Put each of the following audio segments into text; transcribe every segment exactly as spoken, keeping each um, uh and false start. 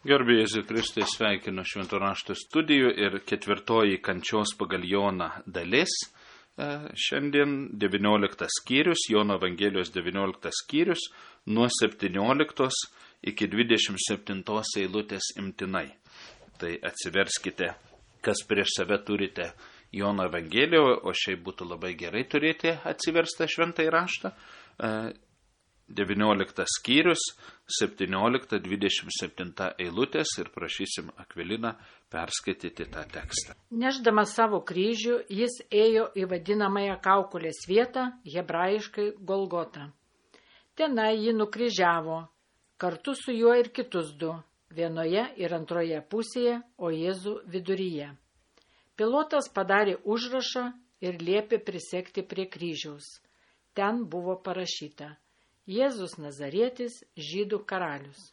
Garbė Jėzui Kristui, sveikinu Švento rašto studijų ir ketvirtoji kančios pagal Joną dalis. Šiandien devynioliktas skyrius, Jono Evangelijos devynioliktas skyrius, nuo septynioliktos iki dvidešimt septintos eilutės imtinai. Tai atsiverskite, kas prieš save turite Jono Evangelijoje, o šiaip būtų labai gerai turėti atsiverstą šventąjį raštą. devynioliktas skyrius, septyniolikta dvidešimt septinta eilutės ir prašysim Akviliną perskaityti tą tekstą. Nešdamas savo kryžių, jis ėjo į vadinamąją kaukolės vietą, hebrajiškai Golgotą. Tenai jį nukryžiavo, kartu su juo ir kitus du, vienoje ir antroje pusėje, o Jėzų viduryje. Pilotas padarė užrašą ir liepė prisegti prie kryžiaus. Ten buvo parašyta: Jėzus Nazarietis, žydų karalius.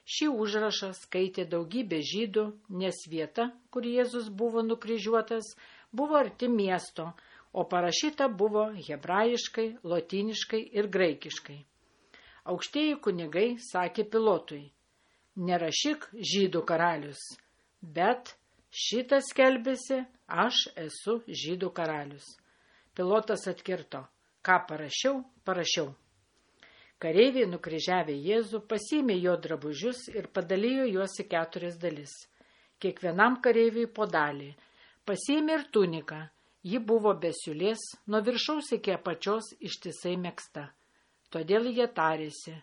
Šį užrašą skaitė daugybė žydų, nes vieta, kur Jėzus buvo nukryžiuotas, buvo arti miesto, o parašyta buvo hebrajiškai, lotyniškai ir graikiškai. Aukštieji kunigai sakė Pilotui: nerašyk žydų karalius, bet šitas skelbėsi: aš esu žydų karalius. Pilotas atkirto: ką parašiau, parašiau. Kareiviai nukryžiavę Jėzų pasiėmė jo drabužius ir padalijo juos į keturias dalis. Kiekvienam kareiviui po dalį. Pasiėmė ir tuniką. Ji buvo be siūlės, nuo viršaus iki apačios ištisai megzta. Todėl jie tarėsi: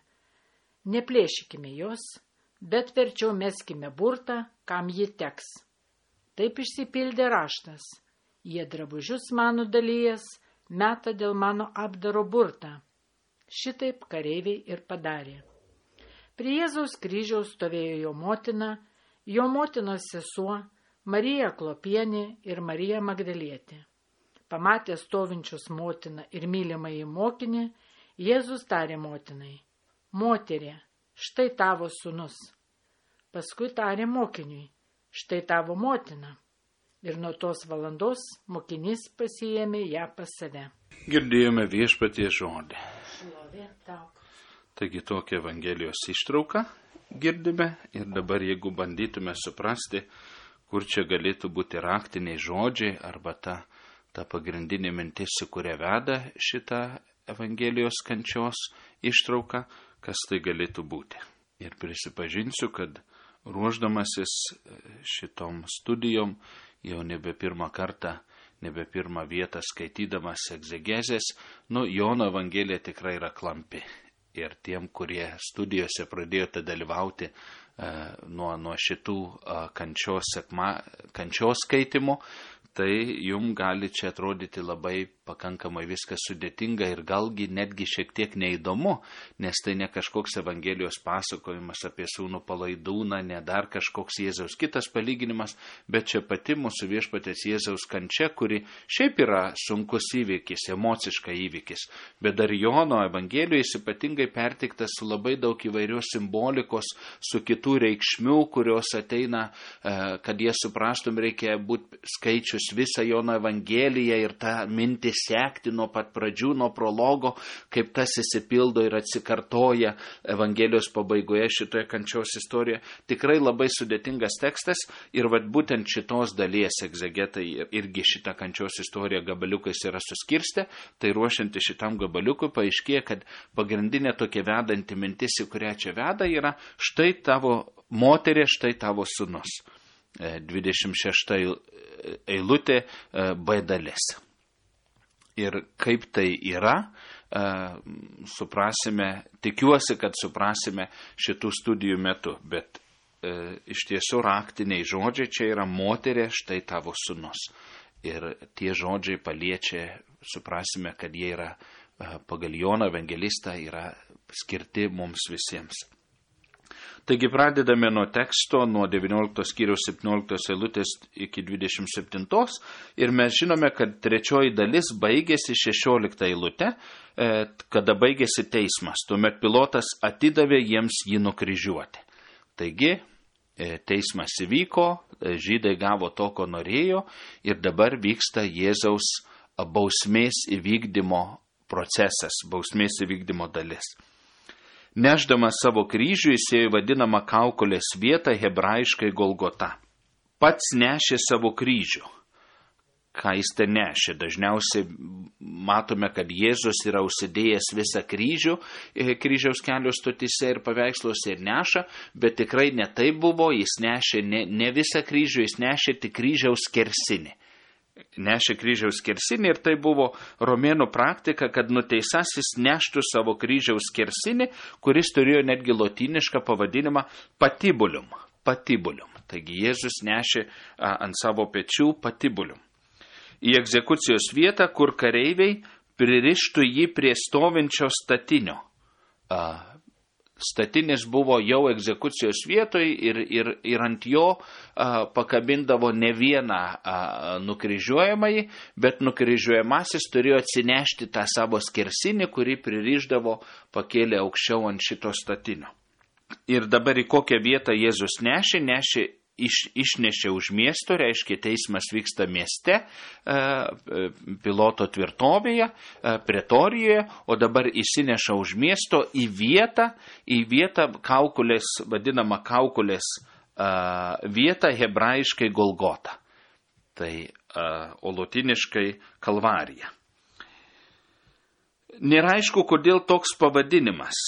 neplėšykime jos, bet verčiau meskime burtą, kam ji teks. Taip išsipildė raštas: jie drabužius mano dalyjas, meta dėl mano apdaro burtą. Šitaip kareiviai ir padarė. Prie Jėzaus kryžiaus stovėjo jo motina, jo motinos sesuo, Marija Klopienė ir Marija Magdalietė. Pamatė stovinčius motiną ir mylimąjį mokinį, Jėzus tarė motinai: moterie, štai tavo sūnus. Paskui tarė mokiniui: štai tavo motina. Ir nuo tos valandos mokinys pasiėmė ją pas save. Girdėjome Viešpaties žodį. Taigi tokią Evangelijos ištrauką girdime ir dabar jeigu bandytume suprasti, kur čia galėtų būti raktiniai žodžiai arba ta, ta pagrindinė mintis, su kuria veda šitą Evangelijos kančios ištrauką, kas tai galėtų būti. Ir prisipažinsiu, kad ruošdamasis šitom studijom jau nebe pirmą kartą, nebe pirmą vietą skaitydamas egzegezės, nu, Jono Evangelija tikrai yra klampi. Ir tiem, kurie studijose pradėjote dalyvauti e, nuo, nuo šitų e, kančios, sekma, kančios skaitimų, tai jum gali čia atrodyti labai pakankamai viskas sudėtinga ir galgi netgi šiek tiek neįdomu, nes tai ne kažkoks Evangelijos pasakojimas apie sūnų palaidūną, ne dar kažkoks Jėzaus kitas palyginimas, bet čia pati mūsų Viešpaties Jėzaus kančia, kuri šiaip yra sunkus įvykis, emociškai įvykis, bet dar Jono Evangelijoje jis ypatingai perteiktas su labai daug įvairios simbolikos, su kitų reikšmių, kurios ateina, kad jie suprastum, reikia būti skaičius visą Jono Evangeliją ir tą mintį sekti nuo pat pradžių, nuo prologo, kaip tas įsipildo ir atsikartoja Evangelijos pabaigoje šitoje kančios istorijoje. Tikrai labai sudėtingas tekstas ir vat būtent šitos dalies egzegetai irgi šitą kančios istoriją gabaliukais yra suskirstę, tai ruošianti šitam gabaliukui paaiškėja, kad pagrindinė tokia vedanti mintis, į kurią čia veda, yra štai tavo moterė, štai tavo sūnus. dvidešimt šešta eilutė B dalis. Ir kaip tai yra, suprasime, tikiuosi, kad suprasime šitų studijų metu, bet e, iš tiesų raktiniai žodžiai čia yra moterė, štai tavo sūnus. Ir tie žodžiai paliečia, suprasime, kad jie yra pagal Joną Evangelistą, yra skirti mums visiems. Taigi pradedame nuo teksto, nuo devynioliktos skyriaus septynioliktos eilutės iki dvidešimt septintos ir mes žinome, kad trečioji dalis baigėsi šešiolikta eilute, kada baigėsi teismas. Tuomet Pilotas atidavė jiems jį nukryžiuoti. Taigi teismas įvyko, žydai gavo to, ko norėjo ir dabar vyksta Jėzaus bausmės įvykdymo procesas, bausmės įvykdymo dalis. Nešdamas savo kryžių jis ėjo vadinamą kaukolės vietą, hebrajiškai Golgota. Pats nešė savo kryžių. Ką jis ten nešė? Dažniausiai matome, kad Jėzus yra užsidėjęs visą kryžių kryžiaus kelio stotyse ir paveiksluose ir neša, bet tikrai ne tai buvo, jis nešė ne, ne visą kryžių, jis nešė tik kryžiaus skersinį. Nešė kryžiaus skersinį ir tai buvo romėnų praktika, kad nuteisasis neštų savo kryžiaus skersinį, kuris turėjo netgi lotynišką pavadinimą patibulium. Patibulium. Taigi Jėzus nešė a, ant savo pečių patibulium. Į egzekucijos vietą, kur kareiviai pririštų jį prie stovinčio statinio. Statinis buvo jau egzekucijos vietoj ir, ir, ir ant jo pakabindavo ne vieną nukryžiuojamąjį, bet nukryžiuojamasis turėjo atsinešti tą savo skersinį, kurį pririšdavo pakėlę aukščiau ant šito statinio. Ir dabar į kokią vietą Jėzus nešė, nešė Iš, išnešė už miesto, reiškia teismas vyksta mieste, e, Piloto tvirtovėje, e, Pretorijoje, o dabar įsineša už miesto į vietą, į vietą kaukolės, vadinamą kaukolės e, vietą hebrajiškai Golgota. Tai e, o lotiniškai Kalvarija. Nėra aišku, kodėl toks pavadinimas.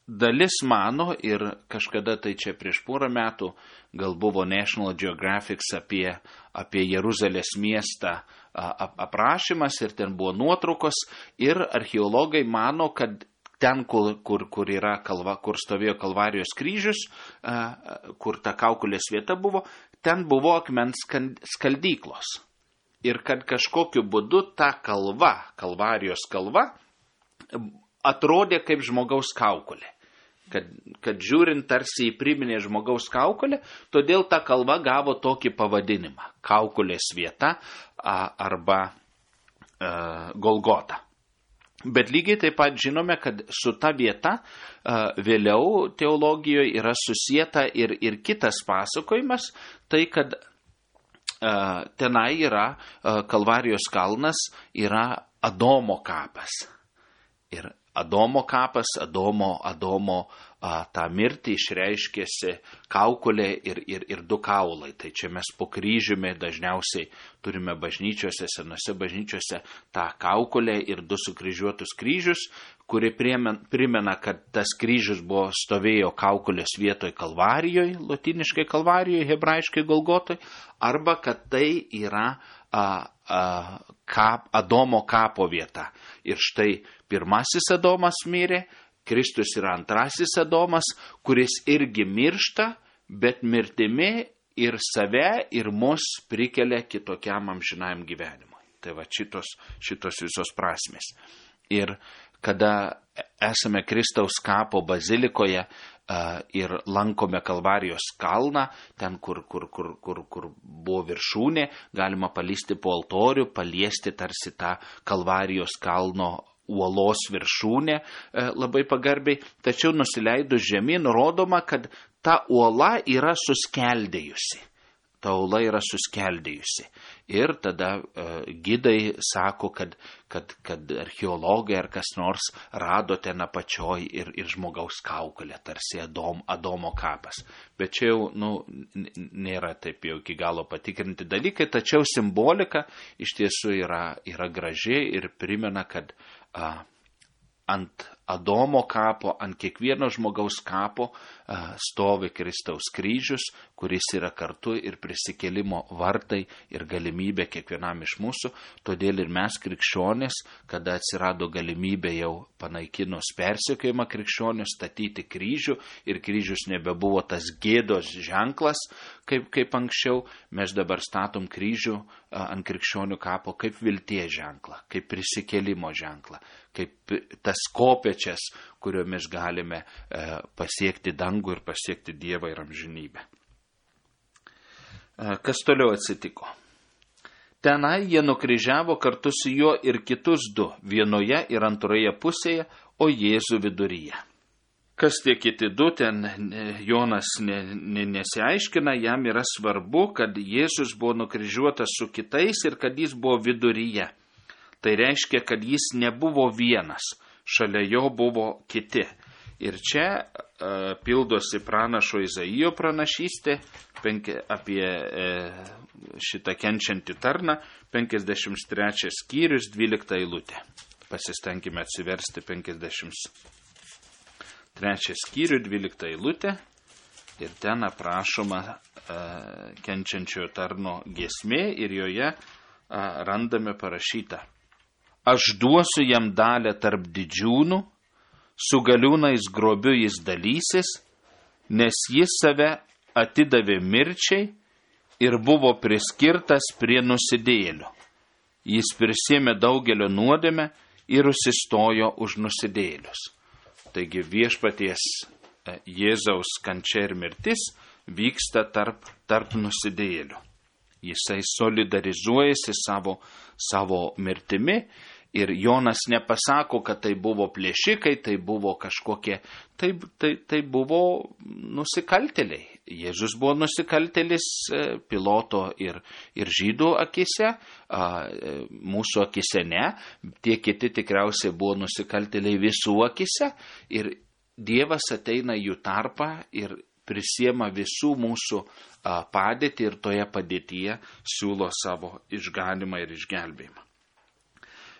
Dalis mano, ir kažkada tai čia prieš porą metų gal buvo National Geographic apie, apie Jeruzalės miestą ap, aprašymas ir ten buvo nuotraukos ir archeologai mano, kad ten, kur, kur, kur, yra kalva, kur stovėjo Kalvarijos kryžius, kur ta kaukolės vieta buvo, ten buvo akmens skaldyklos. Ir kad kažkokiu būdu ta kalva, Kalvarijos kalva, atrodė kaip žmogaus kaukolė. Kad, kad žiūrint tarsi į priminę žmogaus kaukolę, todėl ta kalva gavo tokį pavadinimą – kaukolės vieta a, arba a, Golgota. Bet lygiai taip pat žinome, kad su ta vieta a, vėliau teologijoje yra susieta ir, ir kitas pasakojimas, tai kad a, tenai yra a, Kalvarijos kalnas, yra Adomo kapas. Ir Adomo kapas, Adomo, Adomo a, tą mirtį išreiškėsi kaukolė ir, ir, ir du kaulai. Tai čia mes po kryžiumi dažniausiai turime bažnyčiose, senose bažnyčiose tą kaukolę ir du sukryžiuotus kryžius, kuri primena, kad tas kryžius buvo stovėjo kaukolės vietoj Kalvarijoje, lotiniškai Kalvarijoje, hebrajiškai Golgotoj, arba kad tai yra a, a, kap, Adomo kapo vieta. Ir štai pirmasis Adomas mirė, Kristus yra antrasis Adomas, kuris irgi miršta, bet mirtimi ir save, ir mus prikelia kitokiam amžinajam gyvenimui. Tai va šitos, šitos visos prasmės. Ir kada esame Kristaus kapo bazilikoje uh, ir lankome Kalvarijos kalną, ten, kur, kur, kur, kur, kur buvo viršūnė, galima palysti po altorių, paliesti tarsi tą Kalvarijos kalno uolos viršūnė e, labai pagarbiai, tačiau nusileidus žemyn rodoma, kad ta uola yra suskeldėjusi. Ta uola yra suskeldėjusi. Ir tada e, gidai sako, kad, kad, kad archeologai ar kas nors rado ten apačioj ir, ir žmogaus kaukolę, tarsi Adom, Adomo kapas. Bet čia jau nu, nėra taip jau iki galo patikrinti dalykai, tačiau simbolika iš tiesų yra, yra graži ir primena, kad a, ant Adomo kapo, ant kiekvieno žmogaus kapo a, stovi Kristaus kryžius, kuris yra kartu ir prisikėlimo vartai ir galimybė kiekvienam iš mūsų. Todėl ir mes krikščionys, kada atsirado galimybė jau panaikinus persekiojimą krikščionių, statyti kryžių ir kryžius nebebuvo tas gėdos ženklas, kaip, kaip anksčiau, mes dabar statom kryžių a, ant krikščionių kapo kaip vilties ženklą, kaip prisikėlimo ženklą, kaip tas kopečias, kuriomis galime e, pasiekti dangų ir pasiekti Dievą ir amžinybę. E, kas toliau atsitiko? Tenai jie nukryžiavo kartu su juo ir kitus du, vienoje ir antroje pusėje, o Jėzų viduryje. Kas tie kiti du, ten Jonas ne, ne, nesiaiškina, jam yra svarbu, kad Jėzus buvo nukryžiuotas su kitais ir kad jis buvo viduryje. Tai reiškia, kad jis nebuvo vienas, šalia jo buvo kiti. Ir čia uh, pildosi pranašo Izaijo pranašystė penki, apie uh, šitą kenčiantį tarną, penkiasdešimt trečias skyrius, dvylikta eilutė. Pasistengime atsiversti penkiasdešimt trečią skyrių, dvylikta eilutė. Ir ten aprašoma uh, kenčiančiojo tarno giesmė ir joje uh, randame parašytą. Aš duosiu jam dalę tarp didžiūnų, su galiūnais grobiu jis dalysis, nes jis save atidavė mirčiai ir buvo priskirtas prie nusidėjėlių. Jis prisėmė daugelio nuodėmę ir užsistojo už nusidėjėlius. Taigi viešpaties Jėzaus kančia ir mirtis vyksta tarp, tarp nusidėjėlių. Jisai solidarizuojasi savo, savo mirtimi ir Jonas nepasako, kad tai buvo plėšikai, tai buvo kažkokie, tai, tai, tai buvo nusikaltėliai. Jėzus buvo nusikaltėlis Piloto ir, ir žydų akise, mūsų akise ne, tie kiti tikriausiai buvo nusikaltėliai visų akise ir Dievas ateina jų tarpą ir prisiema visų mūsų padėtį ir toje padėtyje siūlo savo išganimą ir išgelbėjimą.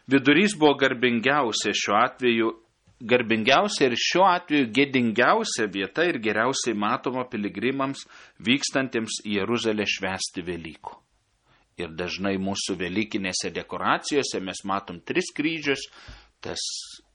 Vidurys buvo garbingiausia šiuo atveju, garbingiausia ir šiuo atveju gėdingiausia vieta ir geriausiai matoma piligrimams vykstantiems į Jeruzalę švęsti Velykų. Ir dažnai mūsų velykinėse dekoracijose mes matom tris kryžius, tas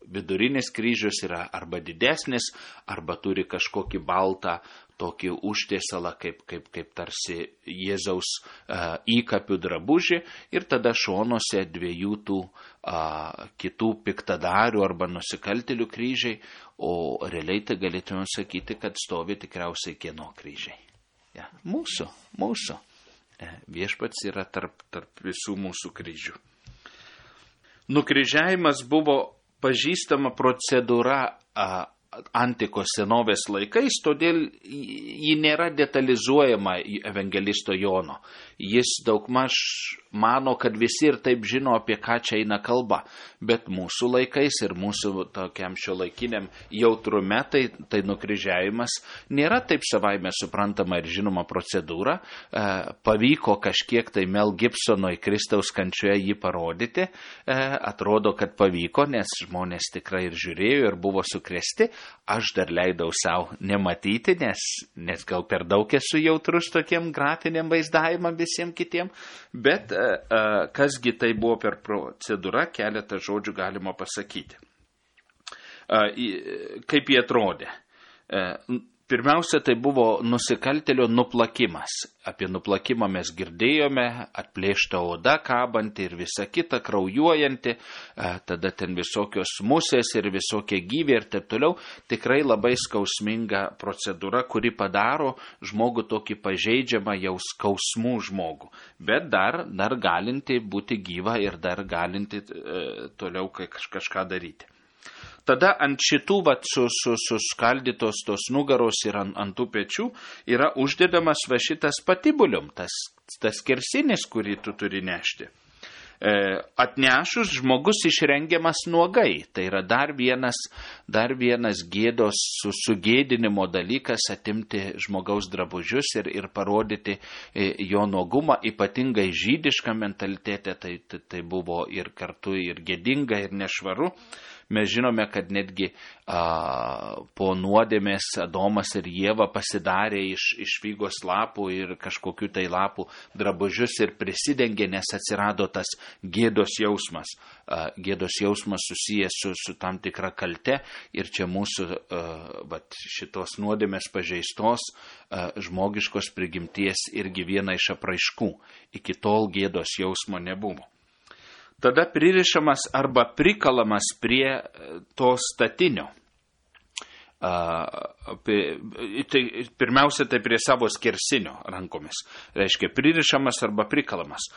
vidurinis kryžius yra arba didesnis, arba turi kažkokį baltą tokį užtiesalą, kaip, kaip, kaip tarsi Jėzaus uh, įkapių drabužį, ir tada šonuose dviejų tų uh, kitų piktadarių arba nusikaltėlių kryžiai, o realiai tai galėtume sakyti, kad stovi tikriausiai kieno kryžiai. Ja, mūsų, mūsų. Viešpats yra tarp, tarp visų mūsų kryžių. Nukryžiavimas buvo pažįstama procedūra a, antikos senovės laikais, todėl ji nėra detalizuojama į evangelisto Jono. Jis daugmaž mano, kad visi ir taip žino, apie ką čia eina kalba. Bet mūsų laikais ir mūsų tokiam šiuolaikiniam jautrume, tai, tai nukryžiavimas nėra taip savaime suprantama ir žinoma procedūra. E, pavyko kažkiek tai Mel Gibsonui Kristaus kančioje jį parodyti. E, atrodo, kad pavyko, nes žmonės tikrai ir žiūrėjo ir buvo sukrėsti. Aš dar leidau savo nematyti, nes, nes gal per daug esu jautrus tokiem grafiniam vaizdavimam visiems kitiem. Bet kasgi tai buvo per procedūra, keletą žodžių galima pasakyti. Kaip jie atrodė? Pirmiausia, tai buvo nusikaltėlio nuplakimas. Apie nuplakimą mes girdėjome, atplėšta oda kabanti ir visa kita kraujuojanti, tada ten visokios musės ir visokie gyviai ir taip toliau. Tikrai labai skausminga procedūra, kuri padaro žmogų tokį pažeidžiamą jau skausmų žmogų. Bet dar, dar galinti būti gyva ir dar galinti e, toliau kažką daryti. Tada ant šitų vat, su, su, suskaldytos tos nugaros ir ant, ant tų pečių yra uždedamas va šitas patibulium, tas, tas kersinis, kurį tu turi nešti. E, atnešus žmogus išrengiamas nuogai. Tai yra dar vienas, dar vienas gėdos su, sugėdinimo dalykas atimti žmogaus drabužius ir, ir parodyti e, jo nuogumą, ypatingai žydišką mentalitetę, tai, tai, tai buvo ir kartu ir gėdinga ir nešvaru. Mes žinome, kad netgi a, po nuodėmės Adomas ir Ieva pasidarė iš, iš figos lapų ir kažkokių tai lapų drabužius ir prisidengė, nes atsirado tas gėdos jausmas. A, gėdos jausmas susijęs su, su tam tikra kalte ir čia mūsų a, vat, šitos nuodėmės pažeistos a, žmogiškos prigimties irgi viena iš apraiškų. Iki tol gėdos jausmo nebuvo. Tada pririšamas arba prikalamas prie to statinio. Tai pirmiausia, tai prie savo skersinio rankomis. Reiškia, pririšamas arba prikalamas.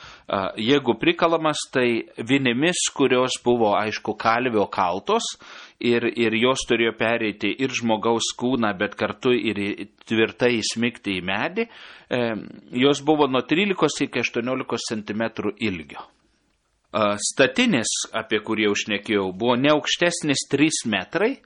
Jeigu prikalamas, tai vinimis, kurios buvo, aišku, kalvio kaltos ir, ir jos turėjo pereiti ir žmogaus kūną, bet kartu ir tvirtai įsmigti į medį, jos buvo nuo trylikos iki aštuoniolikos centimetrų ilgio. Statinis, apie kurį jau šnekėjau, buvo ne aukštesnis trys metrai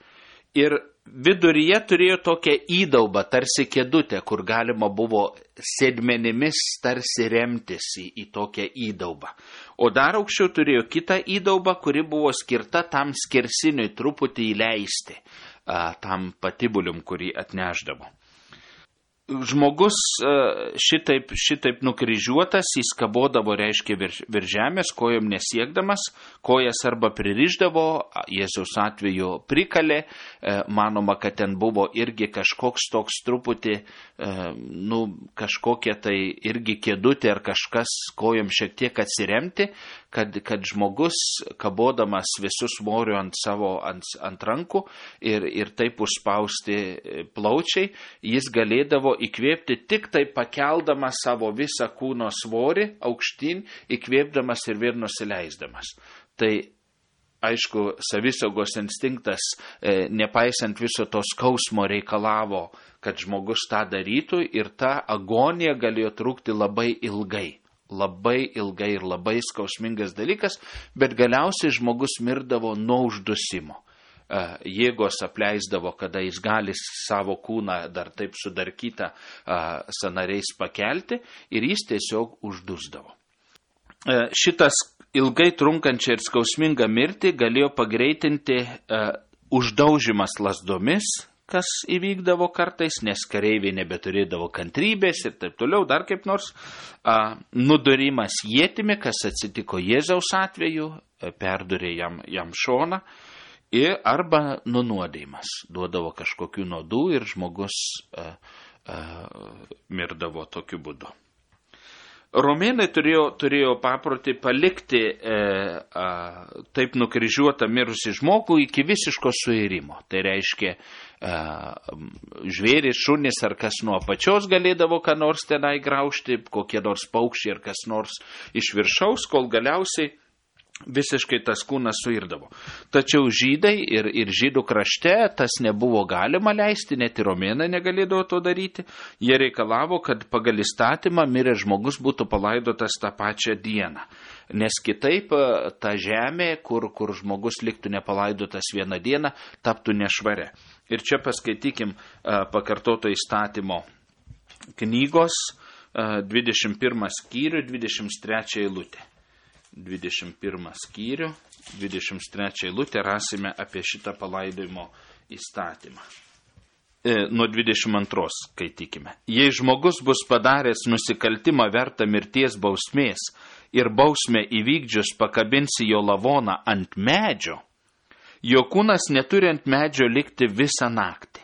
ir viduryje turėjo tokią įdaubą, tarsi kėdutę, kur galima buvo sėdmenimis tarsi remtis į, į tokią įdaubą. O dar aukščiau turėjo kitą įdaubą, kuri buvo skirta tam skersiniui truputį įleisti, a, tam patibulium, kurį atneždavo. Žmogus šitaip, šitaip nukryžiuotas, jis kabodavo, reiškia, virš, virš žemės, kojom nesiekdamas, kojas arba pririždavo, Jėzaus atveju prikalė, manoma, kad ten buvo irgi kažkoks toks truputį, nu, kažkokia tai irgi kėdutė ar kažkas kojom šiek tiek atsiremti, kad, kad žmogus kabodamas visų svorių ant savo, ant, ant rankų ir, ir taip užspausti plaučiai, jis galėdavo įkvėpti tik tai pakeldamas savo visą kūno svorį aukštyn, įkvėpdamas ir vėl nusileisdamas. Tai, aišku, savisaugos instinktas, e, nepaisant viso to skausmo, reikalavo, kad žmogus tą darytų ir ta agonija galėjo trukti labai ilgai. Labai ilgai ir labai skausmingas dalykas, bet galiausiai žmogus mirdavo nuo uždusimo. Jėgos apleisdavo, kada jis gali savo kūną dar taip sudarkytą sanariais pakelti ir jis tiesiog uždusdavo. Šitas ilgai trunkančią ir skausmingą mirtį galėjo pagreitinti uždaužimas lazdomis, kas įvykdavo kartais, nes kareiviai nebeturėdavo kantrybės ir taip toliau, dar kaip nors. A, nudurimas ietimi, kas atsitiko Jėzaus atveju, perdurė jam, jam šoną, ir arba nunuodėjimas. Duodavo kažkokių nuodų ir žmogus a, a, mirdavo tokiu būdu. Romėnai turėjo, turėjo paprotį palikti e, a, taip nukryžiuotą mirusį žmogų iki visiško suirimo. Tai reiškia, e, žvėris, šunis ar kas nuo apačios galėdavo ką nors tenai graužti, kokie nors paukščiai ar kas nors iš viršaus, kol galiausiai visiškai tas kūnas suirdavo. Tačiau žydai ir, ir žydų krašte tas nebuvo galima leisti, net ir romėnai negalėdavo to daryti. Jie reikalavo, kad pagal įstatymą miręs žmogus būtų palaidotas tą pačią dieną. Nes kitaip ta žemė, kur, kur žmogus liktų nepalaidotas vieną dieną, taptų nešvaria. Ir čia paskaitykim pakartoto įstatymo knygos dvidešimt pirmą skyrių, dvidešimt trečią eilutę. dvidešimt pirmą skyrių, dvidešimt trečią eilutę rasime apie šitą palaidojimo įstatymą. E, nuo dvidešimt antros skaitykime. Jei žmogus bus padaręs nusikaltimą vertą mirties bausmės ir bausmę įvykdžius pakabinsi jo lavoną ant medžio, jo kūnas neturi ant medžio likti visą naktį.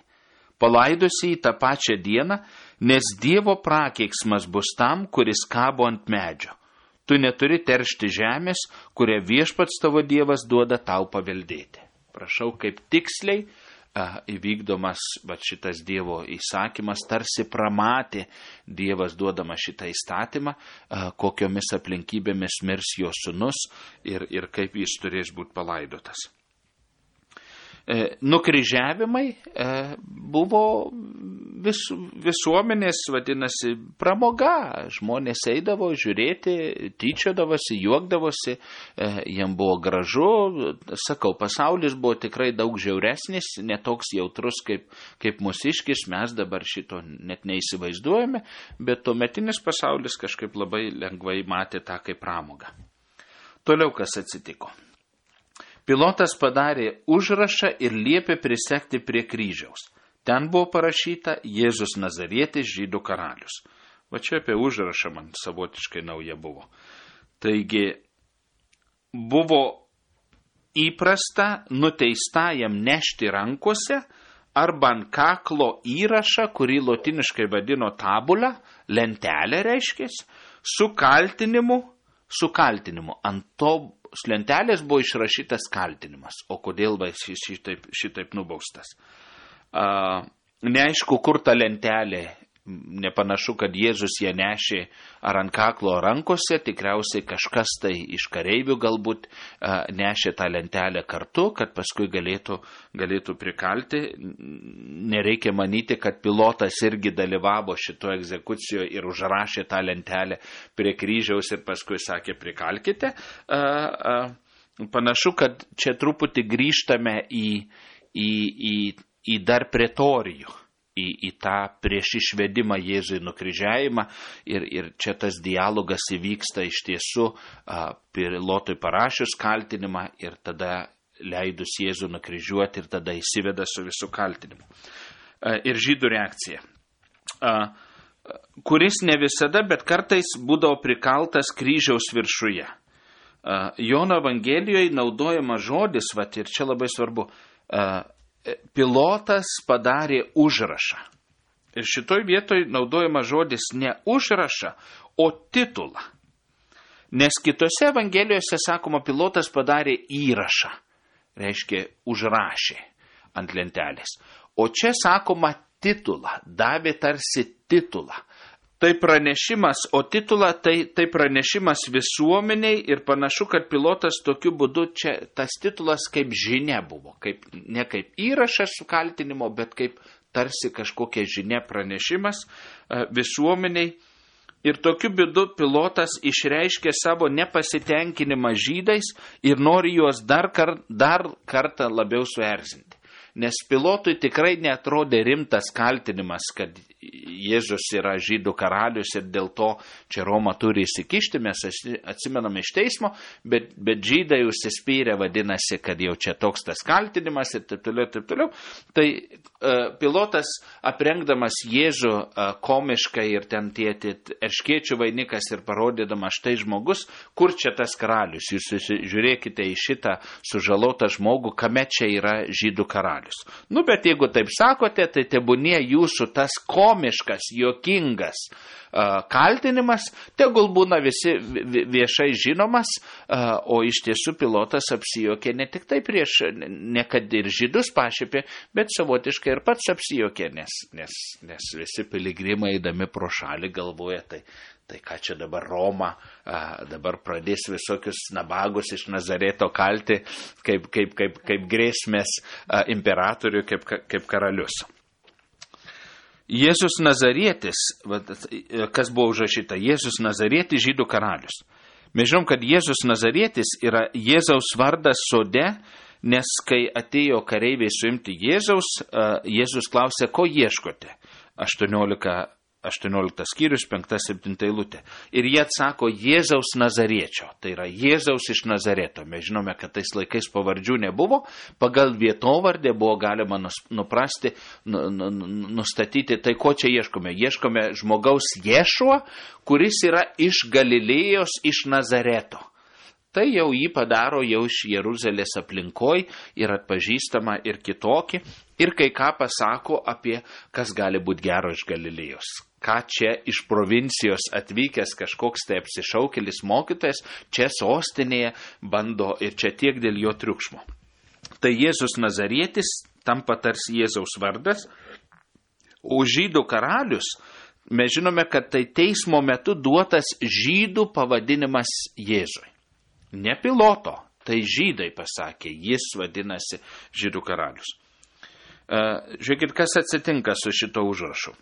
Palaidosi į tą pačią dieną, nes Dievo prakeiksmas bus tam, kuris kabo ant medžio. Tu neturi teršti žemės, kurią viešpats tavo Dievas duoda tau paveldėti. Prašau, kaip tiksliai a, įvykdomas va, šitas Dievo įsakymas, tarsi pramatė Dievas duodamas šitą įstatymą, a, kokiomis aplinkybėmis mirs jo sūnus ir, ir kaip jis turės būti palaidotas. E, nukryžiavimai e, buvo vis, visuomenės, vadinasi, pramoga. Žmonės eidavo žiūrėti, tyčiodavosi, juokdavosi, e, jam buvo gražu. Sakau, pasaulis buvo tikrai daug žiauresnis, netoks jautrus kaip, kaip mūsiškis, mes dabar šito net neįsivaizduojame, bet tuometinis pasaulis kažkaip labai lengvai matė tą kaip pramogą. Toliau kas atsitiko? Pilotas padarė užrašą ir liepė prisekti prie kryžiaus. Ten buvo parašyta Jėzus Nazarietis, žydų karalius. Va čia apie užrašą man savotiškai nauja buvo. Taigi, buvo įprasta nuteistajam nešti rankose arba ant kaklo įrašą, kurį lotiniškai vadino tabulą, lentelę reiškės, su kaltinimu, su kaltinimu. Ant to lentelės buvo išrašytas kaltinimas. O kodėl jis šitaip, šitaip nubaustas? A, neaišku, kur ta lentelė. Nepanašu, kad Jėzus ją nešė ar ant kaklo rankose, tikriausiai kažkas tai iš kareivių galbūt a, nešė tą lentelę kartu, kad paskui galėtų, galėtų prikalti. Nereikia manyti, kad pilotas irgi dalyvavo šito egzekucijoje ir užrašė tą lentelę prie kryžiaus ir paskui sakė prikalkite. A, a, panašu, kad čia truputį grįžtame į, į, į į dar pretorijų, į, į tą prieš išvedimą Jėzui nukryžiavimą ir, ir čia tas dialogas įvyksta iš tiesų a, Pilotui parašius kaltinimą ir tada leidus Jėzų nukryžiuoti ir tada įsiveda su visų kaltinimu. A, ir žydų reakcija, a, kuris ne visada, bet kartais būdavo prikaltas kryžiaus viršuje. A, Jono Evangelijoje naudojama žodis, vat, ir čia labai svarbu, a, Pilotas padarė užrašą. Ir šitoj vietoj naudojama žodis ne užrašą, o titulą. Nes kitose Evangelijose sakoma, Pilotas padarė įrašą. Reiškia, užrašė ant lentelės. O čia sakoma titulą, davė tarsi titulą. Tai pranešimas, o titulą tai, tai pranešimas visuomeniai ir panašu, kad Pilotas tokiu būdu čia tas titulas kaip žinia buvo, kaip, ne kaip įrašas su kaltinimo, bet kaip tarsi kažkokia žinia pranešimas uh, visuomeniai. Ir tokiu būdu Pilotas išreiškė savo nepasitenkinimą žydais ir nori juos dar, kar, dar kartą labiau suerzinti. Nes Pilotui tikrai neatrodė rimtas kaltinimas, kad Jėzus yra žydų karalius ir dėl to čia Roma turi įsikišti, mes atsimename iš teismo, bet, bet žydai užsispyrė, vadinasi, kad jau čia toks tas kaltinimas ir taip toliau, taip toliau. Tai uh, Pilotas aprengdamas Jėzų uh, komiškai ir ten tėti erškėčių vainikas ir parodydamas štai žmogus, kur čia tas karalius, jūs žiūrėkite į šitą sužalotą žmogų, kame čia yra žydų karalius. Nu, bet jeigu taip sakote, tai tebūnie jūsų tas komiškas, juokingas uh, kaltinimas, tegul būna visi viešai žinomas, uh, o iš tiesų Pilotas apsijokė ne tik tai prieš, ne kad ir žydus pašėpė, bet savotiškai ir pats apsijokė, nes, nes, nes visi piligrimai eidami pro šalį galvoja, tai Tai ką čia dabar Roma, a, dabar pradės visokius nabagus iš Nazareto kalti, kaip, kaip, kaip, kaip grėsmės a, imperatoriui, kaip, kaip karalius. Jėzus Nazarietis, kas buvo užrašyta, Jėzus Nazarietis žydų karalius. Mes žinom, kad Jėzus Nazarietis yra Jėzaus vardas sode, nes kai atėjo kareiviai suimti Jėzaus, a, Jėzus klausė, ko ieškote? aštuoniolika aštuonioliktas skyrius, penkta septinta eilutė. Ir jie atsako Jėzaus Nazariečio, tai yra Jėzaus iš Nazareto. Mes žinome, kad tais laikais pavardžių nebuvo, pagal vietovardę buvo galima nuprasti, nustatyti, tai ko čia ieškome. Ieškome žmogaus Ješuo, kuris yra iš Galilėjos, iš Nazareto. Tai jau jį padaro jau iš Jeruzalės aplinkoj ir atpažįstama ir kitokį. Ir kai ką pasako apie, kas gali būti gero iš Galilėjos. Ką čia iš provincijos atvykęs kažkoks tai apsišaukėlis mokytojas, čia sostinėje bando ir čia tiek dėl jo triukšmo. Tai Jėzus Nazarietis tampa tarsi Jėzaus vardas, o žydų karalius, mes žinome, kad tai teismo metu duotas žydų pavadinimas Jėzui. Ne Piloto, tai žydai pasakė, jis vadinasi žydų karalius. Žiūrėkit, kas atsitinka su šito užrašu.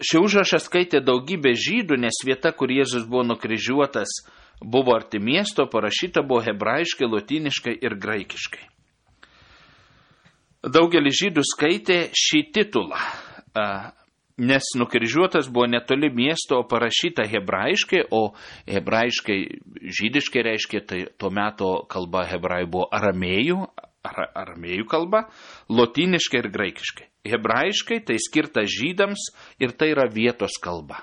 Šį užrašą skaitė daugybė žydų, nes vieta, kur Jėzus buvo nukryžiuotas, buvo arti miesto, parašyta buvo hebrajiškai, lotyniškai ir graikiškai. Daugelis žydų skaitė šį titulą, nes nukryžiuotas buvo netoli miesto, o parašyta hebrajiškai, o hebrajiškai žydiškai reiškia, tai tuo metu kalba hebrajų buvo aramėjų, ar, aramėjų kalba, lotyniškai ir graikiškai. Hebrajiškai tai skirta žydams ir tai yra vietos kalba.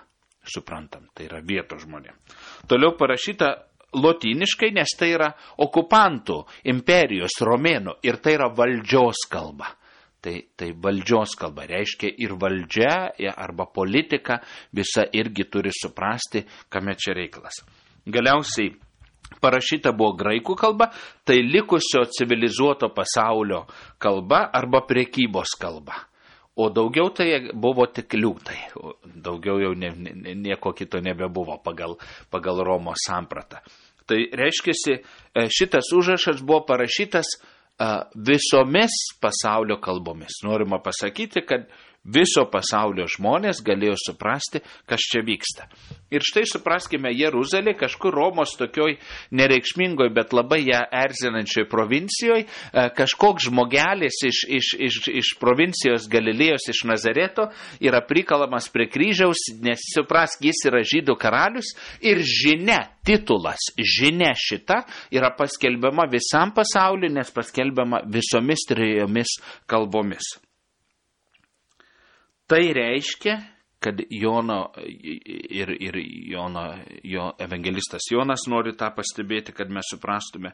Suprantam, tai yra vietos žmonėm. Toliau parašyta lotyniškai, nes tai yra okupantų, imperijos, romėnų ir tai yra valdžios kalba. Tai, tai valdžios kalba reiškia ir valdžia arba politika visa irgi turi suprasti, kame čia reikalas. Galiausiai parašyta buvo graikų kalba, tai likusio civilizuoto pasaulio kalba arba prekybos kalba. O daugiau tai buvo tik liūtai, daugiau jau ne, ne, nieko kito nebebuvo pagal, pagal Romos sampratą. Tai reiškia, šitas užrašas buvo parašytas visomis pasaulio kalbomis. Norima pasakyti, kad Viso pasaulio žmonės galėjo suprasti, kas čia vyksta. Ir štai supraskime, Jeruzalė kažkur Romos tokioj nereikšmingoj, bet labai ją erzinančioj provincijoje, kažkoks žmogelis iš, iš, iš, iš provincijos Galilėjos, iš Nazareto, yra prikalamas prie kryžiaus, nes suprask, jis yra žydų karalius ir žinia, titulas, žinia šita yra paskelbiama visam pasauliu, nes paskelbiama visomis trejomis kalbomis. Tai reiškia, kad Jono ir, ir Jono, jo evangelistas Jonas nori tą pastebėti, kad mes suprastume,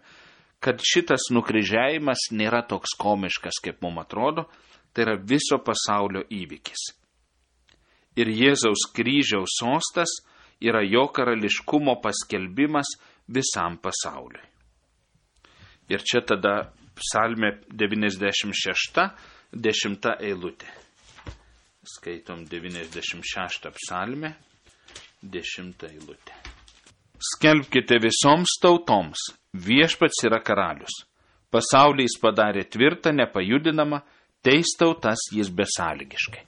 kad šitas nukryžiavimas nėra toks komiškas, kaip mums atrodo, tai yra viso pasaulio įvykis. Ir Jėzaus kryžiaus sostas yra jo karališkumo paskelbimas visam pasauliui. Ir čia tada psalmė devyniasdešimt šešta, dešimta eilutė. Skaitom devyniasdešimt šeštą psalmę, dešimtą eilutę. Skelbkite visoms tautoms, viešpats yra karalius. Pasaulį jis padarė tvirtą, nepajudinamą, teis tautas jis besąlygiškai.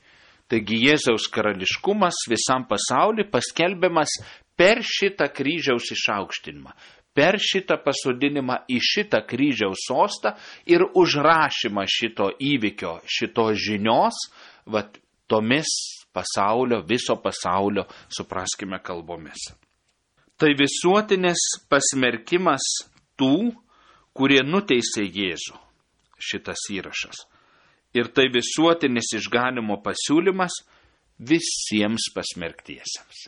Taigi Jėzaus karališkumas visam pasauliu paskelbiamas per šitą kryžiaus išaukštinimą, per šitą pasodinimą į šitą kryžiaus sostą ir užrašymą šito įvykio, šito žinios, vat, tomis pasaulio, viso pasaulio, supraskime, kalbomis. Tai visuotinis pasmerkimas tų, kurie nuteisė Jėzų, šitas įrašas. Ir tai visuotinis išganimo pasiūlymas visiems pasmerktiesiems.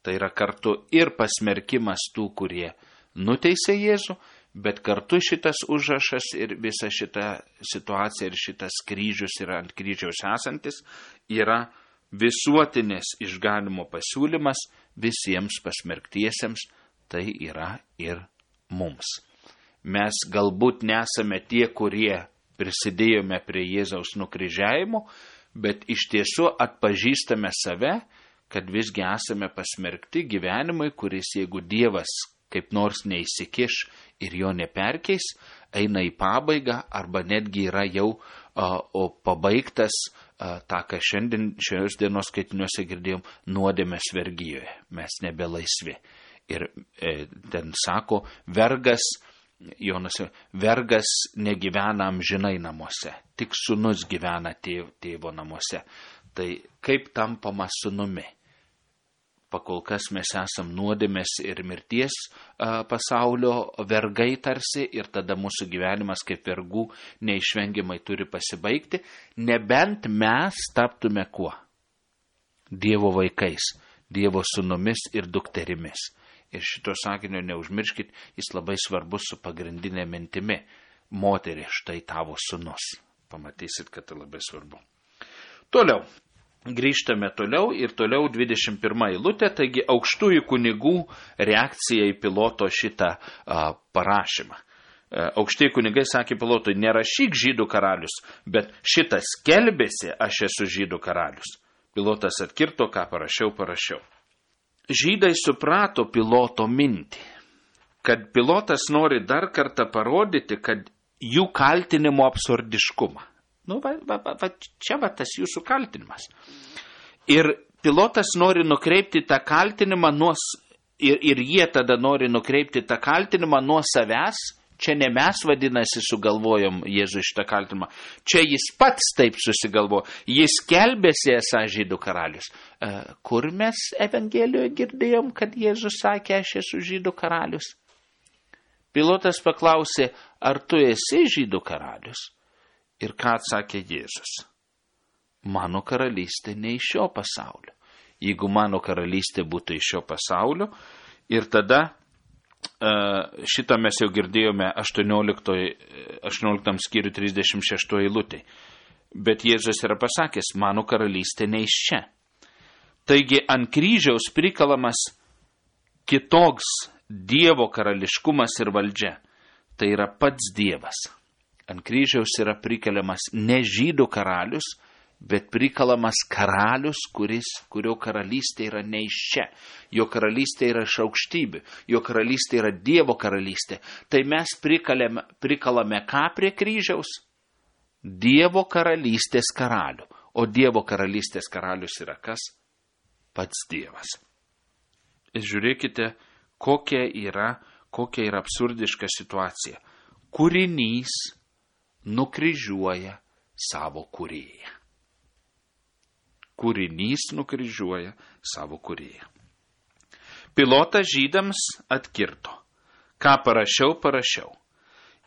Tai yra kartu ir pasmerkimas tų, kurie nuteisė Jėzų, bet kartu šitas užrašas ir visa šita situacija ir šitas kryžius yra ant kryžiaus esantis, yra visuotinės išganimo pasiūlymas visiems pasmerktiesiems, tai yra ir mums. Mes galbūt nesame tie, kurie prisidėjome prie Jėzaus nukryžiavimo, bet iš tiesų atpažįstame save, kad visgi esame pasmerkti gyvenimui, kuris, jeigu Dievas kaip nors neįsikiš ir jo neperkeis, eina į pabaigą arba netgi yra jau a, o pabaigtas a, tą, ką šiandien šios dienos skaitiniuose girdėjom, nuodėmės vergijoje. Mes nebelaisvi. Ir e, ten sako, vergas, Jonas, vergas negyvena amžinai namuose, tik sūnus gyvena tėv, tėvo namuose. Tai kaip tampama sūnumi? Pakol kas mes esam nuodėmės ir mirties a, pasaulio vergai tarsi ir tada mūsų gyvenimas kaip vergų neišvengiamai turi pasibaigti, nebent mes taptume kuo? Dievo vaikais, Dievo sūnumis ir dukterimis. Ir šito sakinio neužmirškit, jis labai svarbus su pagrindinė mintimi. Moterį, štai tavo sūnus. Pamatysit, kad tai labai svarbu. Toliau. Grįžtame toliau ir toliau dvidešimt pirma eilutė, taigi aukštųjų kunigų reakcija į Piloto šitą a, parašymą. A, aukštieji kunigai sakė Pilotui, nerašyk žydų karalius, bet šitas skelbėsi, aš esu žydų karalius. Pilotas atkirto, ką parašiau, parašiau. Žydai suprato Piloto mintį, kad Pilotas nori dar kartą parodyti, kad jų kaltinimo absurdiškumą. Nu, va, va, va, čia va tas jūsų kaltinimas. Ir Pilotas nori nukreipti tą kaltinimą nuo, ir, ir jie tada nori nukreipti tą kaltinimą nuo savęs. Čia ne mes vadinasi sugalvojom Jėzų šitą kaltinimą. Čia jis pats taip susigalvojo. Jis kelbėsi esą žydų karalius. E, kur mes Evangelijoje girdėjom, kad Jėzus sakė, aš esu žydų karalius? Pilotas paklausė, ar tu esi žydų karalius? Ir ką atsakė Jėzus? Mano karalystė ne iš šio pasaulio. Jeigu mano karalystė būtų iš šio pasaulio, ir tada šitą mes jau girdėjome aštuonioliktam skyriui trisdešimt šeštoje eilutėje. Bet Jėzus yra pasakęs, mano karalystė ne iš čia. Taigi ant kryžiaus prikalamas kitoks Dievo karališkumas ir valdžia. Tai yra pats Dievas. Ant kryžiaus yra prikeliamas ne žydų karalius, bet prikalamas karalius, kuris, kurio karalystė yra ne iš čia. Jo karalystė yra iš aukštybių, jo karalystė yra Dievo karalystė. Tai mes prikalame, prikalame ką prie kryžiaus? Dievo karalystės karalių. o Dievo karalystės karalius yra kas? Pats Dievas. Ir žiūrėkite, kokia yra, kokia yra absurdiška situacija. Kūrinys nukryžiuoja savo kūrėją. Kūrinys nukryžiuoja savo kūrėją. Pilotas žydams atkirto. Ką parašiau, parašiau.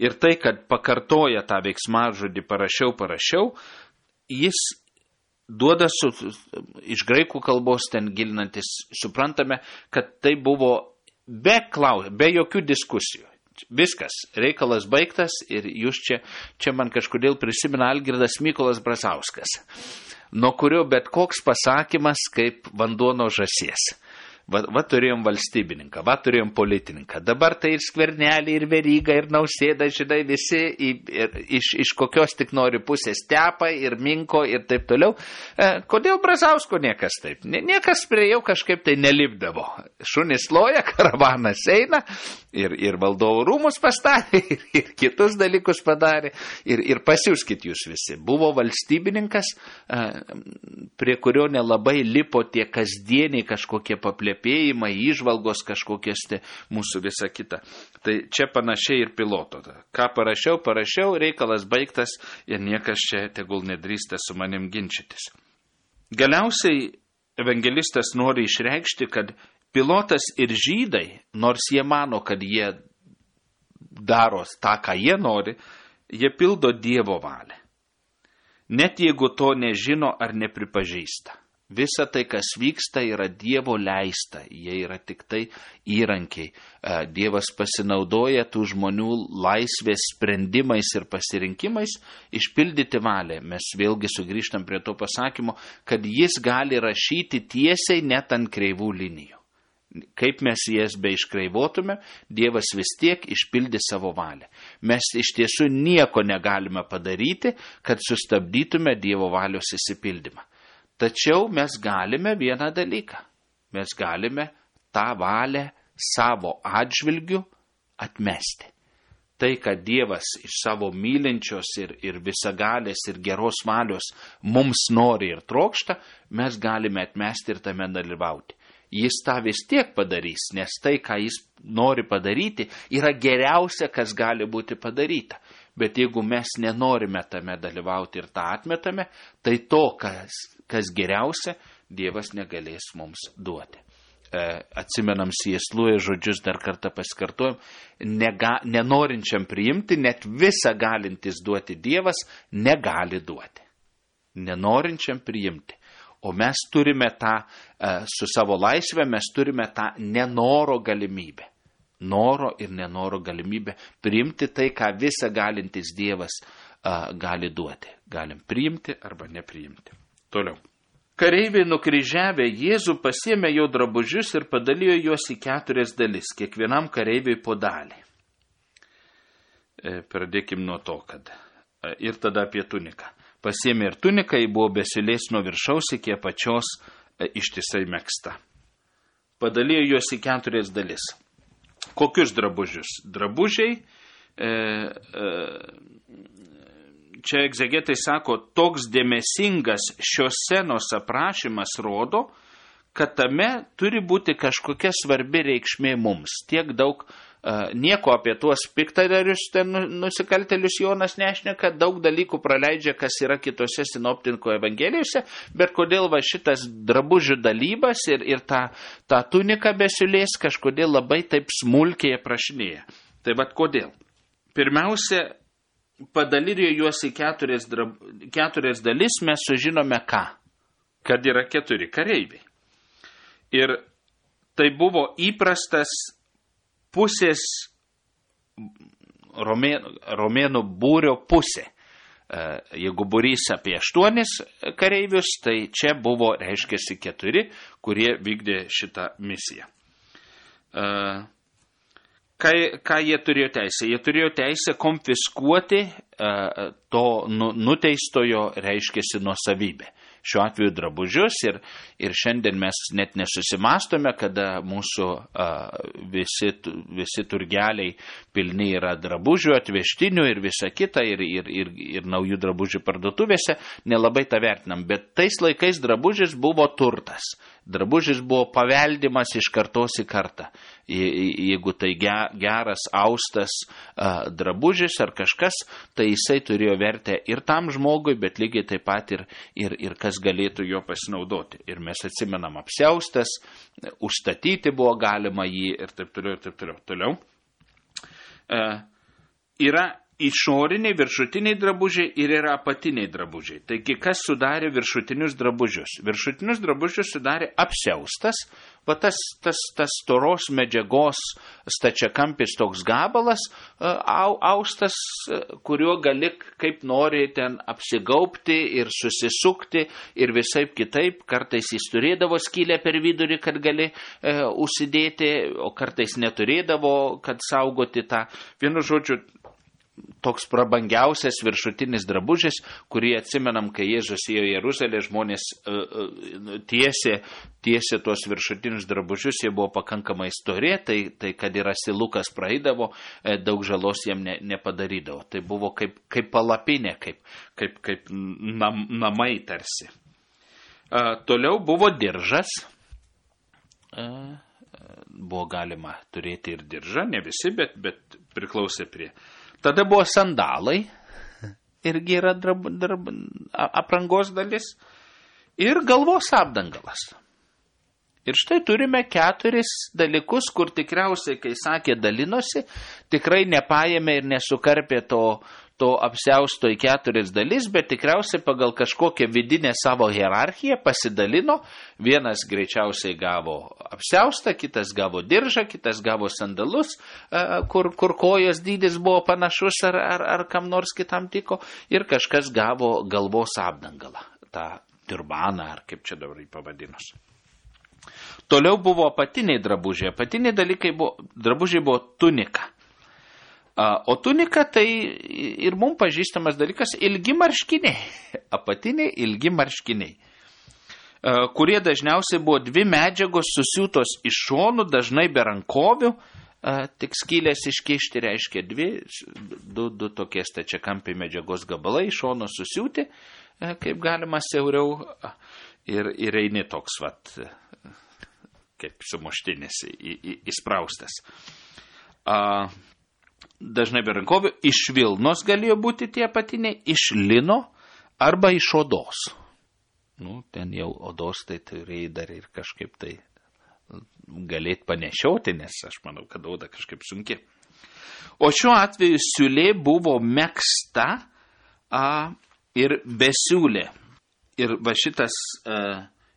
Ir tai, kad pakartoja tą veiksmažodį parašiau, parašiau, jis duoda su, iš graikų kalbos ten gilinantis, suprantame, kad tai buvo be klausimo, be jokių diskusijų. Viskas, reikalas baigtas ir jūs čia, čia man kažkodėl prisimena Algirdas Mykolas Brazauskas, nuo kurio bet koks pasakymas kaip vanduo nuo žąsies. Va, va turėjom valstybininką, va turėjom politininką. Dabar tai ir Skvernelį, ir Verygą, ir Nausėdą, žinai, visi ir, ir, iš, iš kokios tik nori pusės tepa, ir minko, ir taip toliau. E, kodėl Brazausko niekas taip? Niekas prie jau kažkaip tai nelipdavo. Šunis loja, karavanas eina, ir, ir valdovų rūmus pastatė, ir, ir kitus dalykus padarė. Ir, ir pasiūskit jūs visi. Buvo valstybininkas, e, prie kurio nelabai lipo tie kasdieniai kažkokie paplėpėjimai, įžvalgos kažkokias tai mūsų visa kita. Tai čia panašiai ir piloto. Ką parašiau, parašiau, reikalas baigtas ir niekas čia tegul nedrįsta su manim ginčytis. Galiausiai evangelistas nori išreikšti, kad pilotas ir žydai, nors jie mano, kad jie daro tą, ką jie nori, jie pildo Dievo valią. Net jeigu to nežino ar nepripažįsta. Visa tai, kas vyksta, yra Dievo leista, jie yra tik tai įrankiai. Dievas pasinaudoja tų žmonių laisvės sprendimais ir pasirinkimais išpildyti valią. Mes vėlgi sugrįžtam prie to pasakymo, kad jis gali rašyti tiesiai net ant kreivų linijų. Kaip mes jas be iškreivotume, Dievas vis tiek išpildė savo valią. Mes iš tiesų nieko negalime padaryti, kad sustabdytume Dievo valios įsipildymą. Tačiau mes galime vieną dalyką. Mes galime tą valią savo atžvilgiu atmesti. Tai, kad Dievas iš savo mylinčios ir, ir visagalės ir geros valios mums nori ir trokšta, mes galime atmesti ir tame dalyvauti. Jis tą vis tiek padarys, nes tai, ką jis nori padaryti, yra geriausia, kas gali būti padaryta. Bet jeigu mes nenorime tame dalyvauti ir tą atmetame, tai to, kas, kas geriausia, Dievas negalės mums duoti. E, atsimenam C S Lewis žodžius, dar kartą pasikartojom, nega, nenorinčiam priimti, net visą galintis duoti Dievas, negali duoti. Nenorinčiam priimti. O mes turime tą, e, su savo laisvė, mes turime tą nenoro galimybę. Noro ir nenoro galimybę priimti tai, ką visa galintis Dievas a, gali duoti. Galim priimti arba nepriimti. Toliau. Kareiviai nukryžiavę Jėzų pasiėmė jo drabužius ir padalijo juos į keturias dalis, kiekvienam kareiviui po dalį. E, pradėkim nuo to, kad e, ir tada apie tuniką. Pasiėmė ir tuniką, ji buvo besilės nuo viršaus iki apačios e, ištisai megzta. Padalijo juos į keturias dalis. Kokius drabužius? Drabužiai, e, e, čia egzegetai sako, toks dėmesingas šios scenos aprašymas rodo, kad tame turi būti kažkokia svarbi reikšmė mums. Tiek daug, e, nieko apie tuos piktadarius, ten nusikaltelius Jonas nešneka, daug dalykų praleidžia, kas yra kitose sinoptinko evangelijose, bet kodėl va šitas drabužių dalybas ir, ir tą, tą tuniką besiulės kažkodėl labai taip smulkiai aprašinėja. Tai vad kodėl? Pirmiausia, padalijo juos į keturias, drab, keturias dalis, mes sužinome ką? Kad yra keturi kareiviai. Ir tai buvo įprastas pusės romėnų, romėnų būrio pusė. Jeigu būrys apie aštuonis kareivius, tai čia buvo, reiškiasi, keturi, kurie vykdė šitą misiją. Ką, ką jie turėjo teisę? Jie turėjo teisę konfiskuoti to nuteistojo, reiškiasi, nuosavybę. šiuo atveju drabužius ir, ir šiandien mes net nesusimastome, kada mūsų a, visi, visi turgeliai pilni yra drabužių, atvežtinių ir visa kita ir, ir, ir, ir naujų drabužių parduotuvėse, nelabai tą vertinam, bet tais laikais drabužis buvo turtas. Drabužis buvo paveldimas iš kartos į kartą. Jeigu tai geras, austas drabužis ar kažkas, tai jisai turėjo vertę ir tam žmogui, bet lygiai taip pat ir, ir, ir kas galėtų jo pasinaudoti. Ir mes atsimenam apsiaustas, užstatyti buvo galima jį ir taip toliau, ir taip toliau. Toliau. E, yra išoriniai, viršutiniai drabužiai ir yra apatiniai drabužiai. Taigi, kas sudarė viršutinius drabužius? Viršutinius drabužius sudarė apsiaustas, va tas, tas, tas storos medžiagos stačiakampis toks gabalas, au, austas, kuriuo gali kaip nori ten apsigaubti ir susisukti ir visaip kitaip. Kartais jis turėdavo skylę per vidurį, kad gali e, užsidėti, o kartais neturėdavo, kad saugoti tą. Vienu žodžiu, toks prabangiausias viršutinis drabužis, kurį atsimenam, kai Jėzus ėjo į Jeruzalę, žmonės uh, uh, tiesė, tiesė tuos viršutinius drabužius, jie buvo pakankamai stori, tai, tai kad ir asilukas praeidavo, daug žalos jiem ne, nepadarydavo. Tai buvo kaip, kaip palapinė, kaip, kaip, kaip nam, namai tarsi. Uh, toliau buvo diržas. Uh, buvo galima turėti ir diržą, ne visi, bet, bet priklausė prie. Tada buvo sandalai, irgi yra drab, drab, aprangos dalis, ir galvos apdangalas. Ir štai turime keturis dalykus, kur tikriausiai, kai sakė dalinosi, tikrai nepaėmė ir nesukarpė to, to apsiausto į keturis dalis, bet tikriausiai pagal kažkokią vidinę savo hierarchiją pasidalino. Vienas greičiausiai gavo apsiaustą, kitas gavo diržą, kitas gavo sandalus, kur, kur kojos dydis buvo panašus ar, ar, ar kam nors kitam tiko, ir kažkas gavo galvos apdangalą, tą turbaną, ar kaip čia dabar jį pavadinus. Toliau buvo apatiniai drabužiai. Apatiniai dalykai buvo, drabužiai buvo tunika. O tunika tai ir mums pažįstamas dalykas ilgi marškiniai. Apatiniai ilgi marškiniai, kurie dažniausiai buvo dvi medžiagos susiūtos iš šonų, dažnai be rankovių, tik skylės iškišti reiškia dvi, du, du tokie stačiakampiai medžiagos gabalai iš šono susiūti, kaip galima siauriau, ir, ir eini toks, vat, kaip sumuštinis, į, į, įspraustas. A, dažnai be rankovių, iš vilnos galėjo būti tie apatiniai, iš lino arba iš odos. Nu, ten jau odos tai turėjai dar ir kažkaip tai galėt panešioti, nes aš manau, kad oda kažkaip sunki. O šiuo atveju siūlė buvo megzta a, ir besiūlė. Ir va šitas a,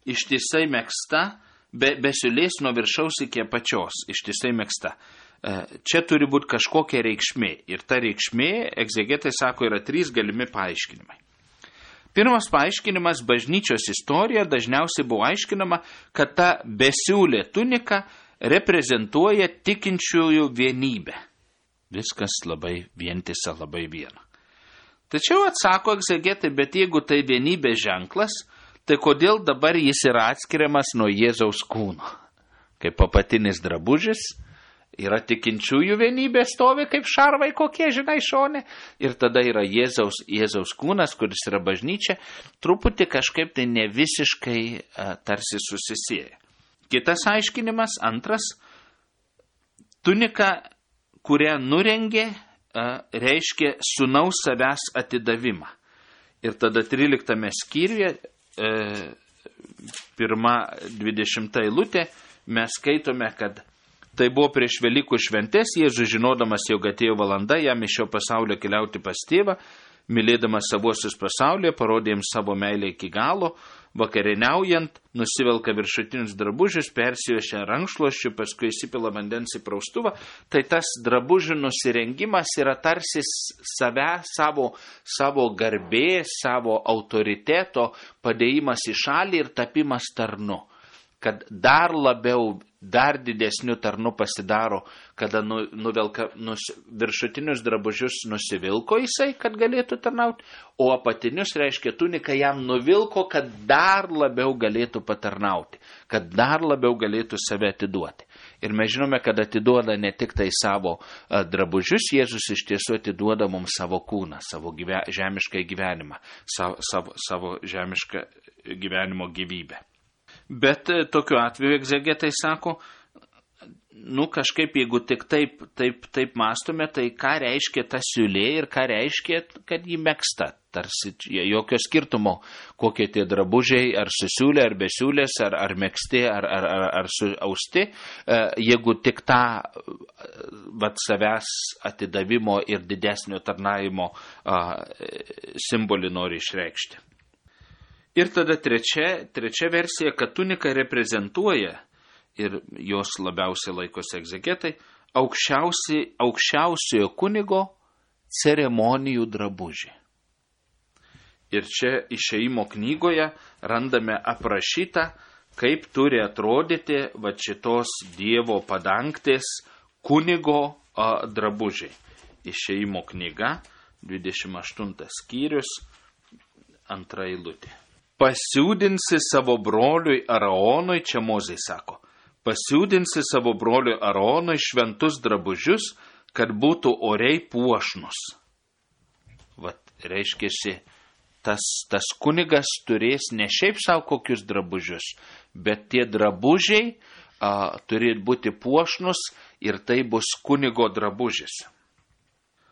ištisai megzta, be, be siūlės nuo viršaus iki apačios, ištisai megzta. Čia turi būti kažkokia reikšmė. Ir ta reikšmė, egzegetai sako, yra trys galimi paaiškinimai. Pirmas paaiškinimas, bažnyčios istorija dažniausiai buvo aiškinama, kad ta besiūlė tunika reprezentuoja tikinčiųjų vienybę. Viskas labai vientisa, labai viena. Tačiau atsako egzegetai, bet jeigu tai vienybės ženklas, tai kodėl dabar jis yra atskiriamas nuo Jėzaus kūno? Kaip apatinis drabužis, yra tikinčiųjų vienybė, stovi kaip šarvai kokie, žinai, šone. Ir tada yra Jėzaus, Jėzaus kūnas, kuris yra bažnyčia, truputį kažkaip tai ne visiškai a, tarsi susisieja. Kitas aiškinimas, antras, tunika, kurią nurengė, a, reiškia sūnaus savęs atidavimą. Ir tada tryliktame skyriuje, a, pirma dvidešimta eilutė, mes skaitome, kad tai buvo prieš Velykų šventes, Jėzus žinodamas, jog atėjo valanda jam iš šio pasaulio keliauti pas tėvą, mylėdamas savuosius pasaulyje, parodė jiems savo meilę iki galo, vakarieniaujant, nusivelka viršutinius drabužius, persijošia rankšluosčiu, paskui įsipila vandens į praustuvą. Tai tas drabužių nusirengimas yra tarsi save, savo, savo garbės, savo autoriteto padėjimas į šalį ir tapimas tarnu. kad dar labiau, dar didesniu tarnu pasidaro, kada nu, nuvelka, nus, viršutinius drabužius nusivilko jisai, kad galėtų tarnauti, o apatinius, reiškia, tuniką jam nuvilko, kad dar labiau galėtų patarnauti, kad dar labiau galėtų save atiduoti. Ir mes žinome, kad atiduoda ne tik tai savo a, drabužius, Jėzus iš tiesų atiduoda mums savo kūną, savo gyve, žemišką gyvenimą, savo, savo, savo žemišką gyvenimo gyvybę. Bet tokiu atveju egzegetai sako, nu kažkaip jeigu tik taip, taip, taip mąstome, tai ką reiškia ta siūlė ir ką reiškia, kad jį megsta. Tarsi jokio skirtumo, kokie tie drabužiai, ar susiūlė, ar besiūlės, ar, ar megsti, ar, ar, ar, ar suausti, jeigu tik tą vat, savęs atidavimo ir didesnio tarnavimo simbolį nori išreikšti. Ir tada trečia, trečia versija, kad tunika reprezentuoja, ir jos labiausiai laikosi egzegetai, aukščiausi, aukščiausiojo kunigo ceremonijų drabužį. Ir čia Išėjimo knygoje randame aprašytą, kaip turi atrodyti va šitos Dievo padangtės kunigo a, drabužiai. Išėjimo knyga, dvidešimt aštuntas skyrius, antra eilutė. Pasiūdinsi savo broliui Araonui, čia Mozė sako, pasiūdinsi savo broliui Araonui šventus drabužius, kad būtų oriai puošnus. Vat, reiškiasi, tas, tas kunigas turės ne šiaip savo kokius drabužius, bet tie drabužiai a, turi būti puošnus ir tai bus kunigo drabužis.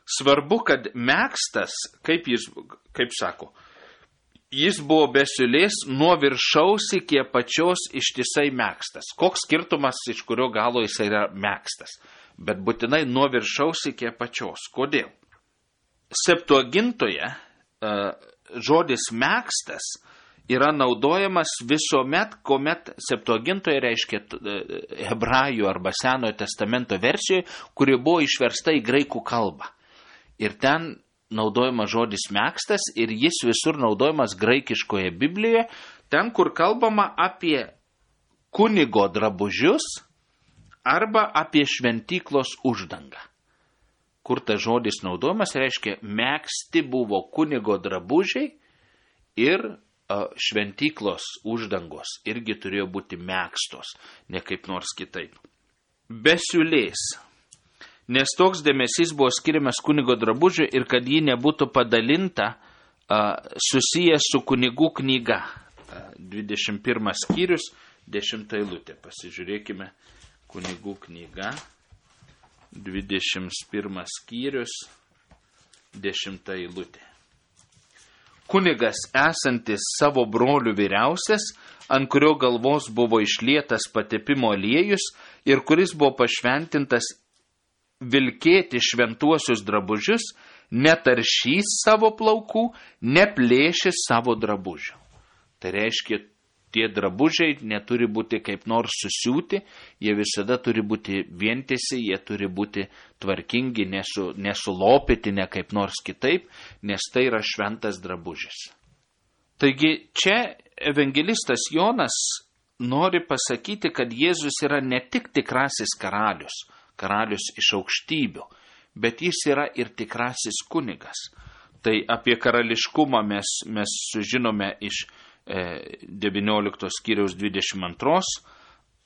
Svarbu, kad megztas, kaip jis, kaip sako, jis buvo be siūlės nuo viršaus iki apačios ištisai megztas. Koks skirtumas, iš kurio galo jis yra megztas? Bet būtinai nuo viršaus iki apačios. Kodėl? Septuagintoje uh, žodis megztas yra naudojamas visuomet, kuomet Septuagintoje reiškia uh, hebrajų arba Senojo testamento versijoje, kuri buvo išversta į graikų kalbą. Ir ten naudojamas žodis megztas ir jis visur naudojamas graikiškoje Biblijoje, ten, kur kalbama apie kunigo drabužius arba apie šventyklos uždangą. Kur tas žodis naudojamas, reiškia, megzti buvo kunigo drabužiai ir a, šventyklos uždangos irgi turėjo būti megztos, ne kaip nors kitaip. Be siūlės. Nes toks dėmesys buvo skiriamas kunigo drabužiui ir kad ji nebūtų padalinta a, susijęs su kunigų knyga. A, dvidešimt pirmas skyrius, dešimta eilutė. Pasižiūrėkime, kunigų knyga, dvidešimt pirmas skyrius, dešimta eilutė. Kunigas esantis savo brolių vyriausias, ant kurio galvos buvo išlietas patepimo aliejus ir kuris buvo pašventintas vilkėti šventuosius drabužius, netaršys savo plaukų, neplėšys savo drabužių. Tai reiškia, tie drabužiai neturi būti kaip nors susiūti, jie visada turi būti vientisi, jie turi būti tvarkingi, nesu, nesulopyti, ne kaip nors kitaip, nes tai yra šventas drabužis. Taigi čia evangelistas Jonas nori pasakyti, kad Jėzus yra ne tik tikrasis karalius, karalius iš aukštybių, bet jis yra ir tikrasis kunigas. Tai apie karališkumą mes, mes sužinome iš e, devynioliktos skyriaus dvidešimt antros,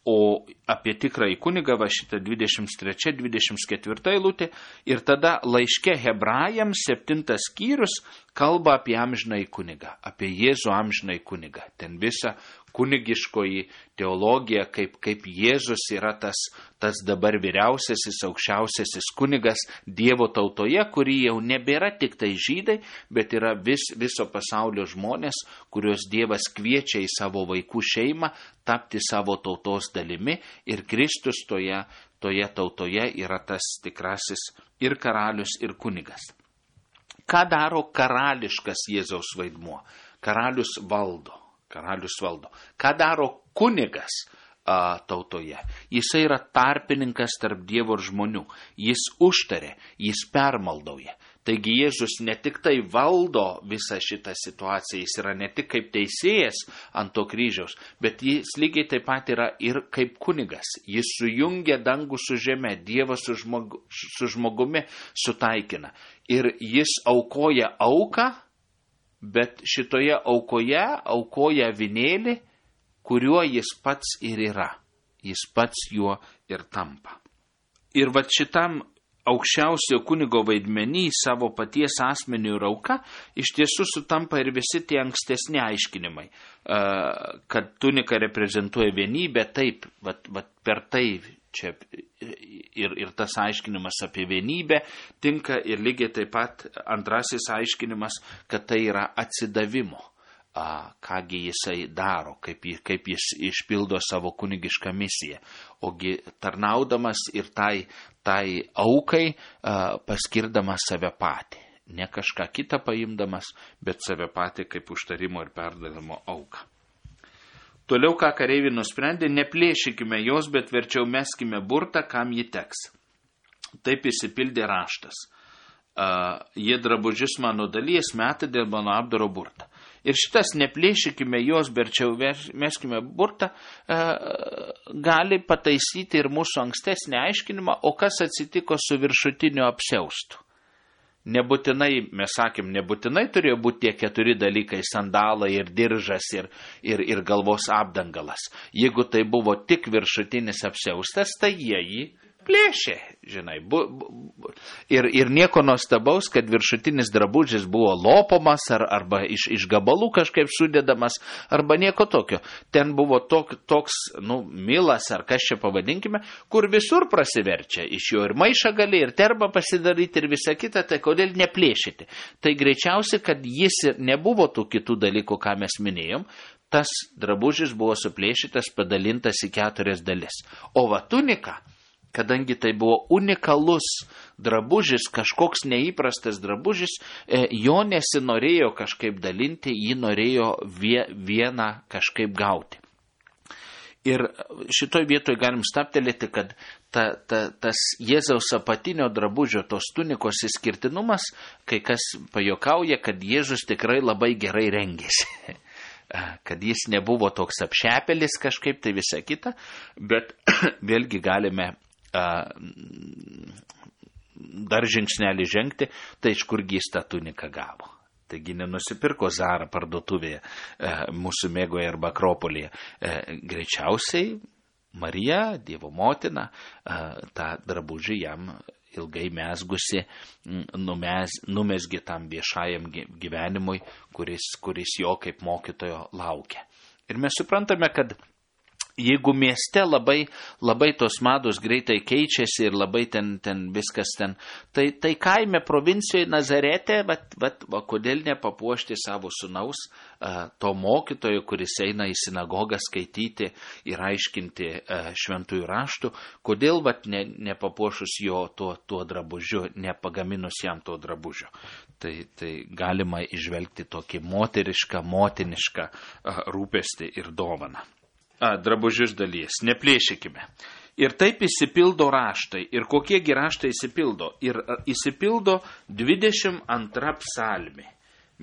o apie tikrąjį kunigą va šitą dvidešimt trečia dvidešimt ketvirta eilutė, ir tada laiške Hebrajams septintas skyrius kalba apie amžinąjį kunigą, apie Jėzų amžinąjį kunigą. Ten visa kunigiškoji teologija, kaip, kaip Jėzus yra tas, tas dabar vyriausiasis, aukščiausiasis kunigas Dievo tautoje, kuri jau nebėra tik tai žydai, bet yra vis, viso pasaulio žmonės, kuriuos Dievas kviečia į savo vaikų šeimą, tapti savo tautos dalimi, ir Kristus toje, toje tautoje yra tas tikrasis ir karalius, ir kunigas. Ką daro karališkas Jėzaus vaidmuo? Karalius valdo. Karalius valdo. Ką daro kunigas a, tautoje? Jisai yra tarpininkas tarp Dievo ir žmonių. Jis užtarė, jis permaldauja. Taigi Jėzus ne tik tai valdo visą šitą situaciją, jis yra ne tik kaip teisėjas ant to kryžiaus, bet jis lygiai taip pat yra ir kaip kunigas. Jis sujungia dangų su žeme, Dievą su, žmogu, su žmogumi sutaikina. Ir jis aukoja auką, bet šitoje aukoje aukoja avinėlį, kuriuo jis pats ir yra. Jis pats juo ir tampa. Ir va šitam aukščiausio kunigo vaidmenį savo paties asmeniu ir auka iš tiesų sutampa ir visi tie ankstesni aiškinimai, kad tunika reprezentuoja vienybę, taip, vat, vat per tai čia ir, ir tas aiškinimas apie vienybę tinka ir lygiai taip pat antrasis aiškinimas, kad tai yra atsidavimo. A, kągi jisai daro, kaip, kaip jis išpildo savo kunigišką misiją. Ogi tarnaudamas ir tai, tai aukai a, paskirdamas save patį. Ne kažką kitą paimdamas, bet save patį kaip užtarimo ir perdavimo auką. Toliau, ką kareiviai nusprendė, neplėšykime jos, bet verčiau meskime burtą, kam ji teks. Taip įsipildė raštas. A, jie drabužius mano dalies metą dėl mano apdaro burtą. Ir šitas neplėšykime jos, berčiau meskime burtą, e, gali pataisyti ir mūsų ankstesnį aiškinimą, o kas atsitiko su viršutiniu apsiaustu. Nebūtinai, mes sakėm, nebūtinai turėjo būti tie keturi dalykai – sandalai ir diržas ir, ir, ir galvos apdangalas. Jeigu tai buvo tik viršutinis apsiaustas, tai jie jį plėšė, žinai. Bu, bu, ir, ir nieko nuostabaus, kad viršutinis drabužis buvo lopomas ar, arba iš, iš gabalų kažkaip sudėdamas, arba nieko tokio. Ten buvo tok, toks, nu, milas ar kas čia pavadinkime, kur visur prasiverčia. Iš jo ir maišą gali, ir terbą pasidaryti, ir visą kitą, tai kodėl neplėšyti? Tai greičiausiai, kad jis ir nebuvo tų kitų dalykų, ką mes minėjom, tas drabužis buvo suplėšytas, padalintas į keturias dalis. O va tunika, kadangi tai buvo unikalus drabužis, kažkoks neįprastas drabužis, jo nesinorėjo kažkaip dalinti, jį norėjo vieną kažkaip gauti. Ir šitoj vietoj galim staptelėti, kad ta, ta, tas Jėzaus apatinio drabužio, tos tunikos išskirtinumas, kai kas pajokauja, kad Jėzus tikrai labai gerai rengėsi. Kad jis nebuvo toks apšepelis kažkaip, tai visa kita, bet vėlgi galime dar žingsnelį žengti, tai iš kurgi jis tą tuniką gavo. Taigi nenusipirko Zara parduotuvėje mūsų mėgoje arba Akropolyje. Greičiausiai Marija, Dievo motina, tą drabužį jam ilgai mesgusi, numes, numesgi tam viešajam gyvenimui, kuris, kuris jo kaip mokytojo laukia. Ir mes suprantame, kad jeigu mieste labai, labai tos mados greitai keičiasi ir labai ten, ten viskas ten, tai, tai kaime provincijoje Nazarete, vat, vat, va, kodėl nepapuošti savo sūnaus, a, to mokytojo, kuris eina į sinagogą skaityti ir aiškinti a, šventųjų raštų, kodėl vat, ne, nepapuošus jo tuo, tuo drabužiu, nepagaminus jam to drabužio. Tai, tai galima išvelgti tokį moterišką, motinišką a, rūpestį ir dovaną. A, drabužius dalies, neplėšykime. Ir taip įsipildo raštai. Ir kokiegi raštai įsipildo? Ir įsipildo dvidešimt antra psalmė.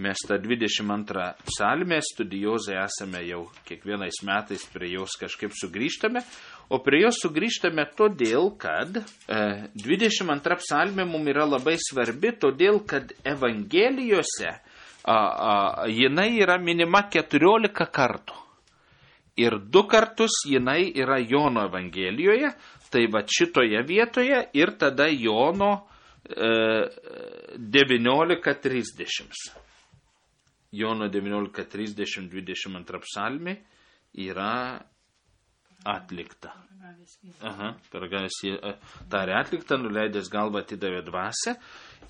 Mes tą dvidešimt antrą psalmę studijuozai esame jau kiekvienais metais prie jos kažkaip sugrįžtame, o prie jos sugrįžtame todėl, kad e, dvidešimt antra psalmė mums yra labai svarbi, todėl, kad Evangelijose a, a, jinai yra minima keturiolika kartų. Ir du kartus jinai yra Jono Evangelijoje, tai va šitoje vietoje ir tada Jono e, devyniolika trisdešimt. Jono devyniolika trisdešimt dvidešimt antra psalmė yra atlikta. Aha, pergavęs jį tarė atlikta, nuleidęs galvą atidavė dvasią.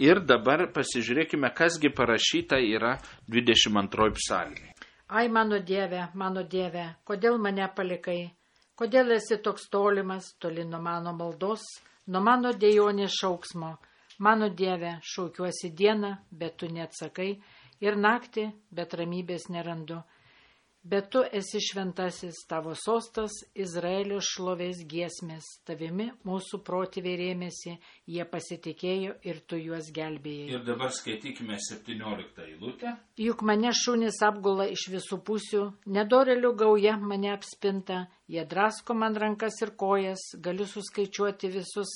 Ir dabar pasižiūrėkime, kasgi parašyta yra dvidešimt antroji psalmė. Ai, mano Dieve, mano Dieve, kodėl mane palikai? Kodėl esi toks tolimas, toli nuo mano maldos, nuo mano dejonės šauksmo? Mano Dieve, šaukiuosi dieną, bet tu neatsakai, ir naktį, bet ramybės nerandu. Bet tu esi šventasis, tavo sostas Izraelio šlovės giesmės, tavimi mūsų protėviai rėmėsi, jie pasitikėjo ir tu juos gelbėjai. Ir dabar skaitykime septynioliktą eilutę. Juk mane šunys apgula iš visų pusių, nedorelių gauja mane apspinta, jie drasko man rankas ir kojas, galiu suskaičiuoti visus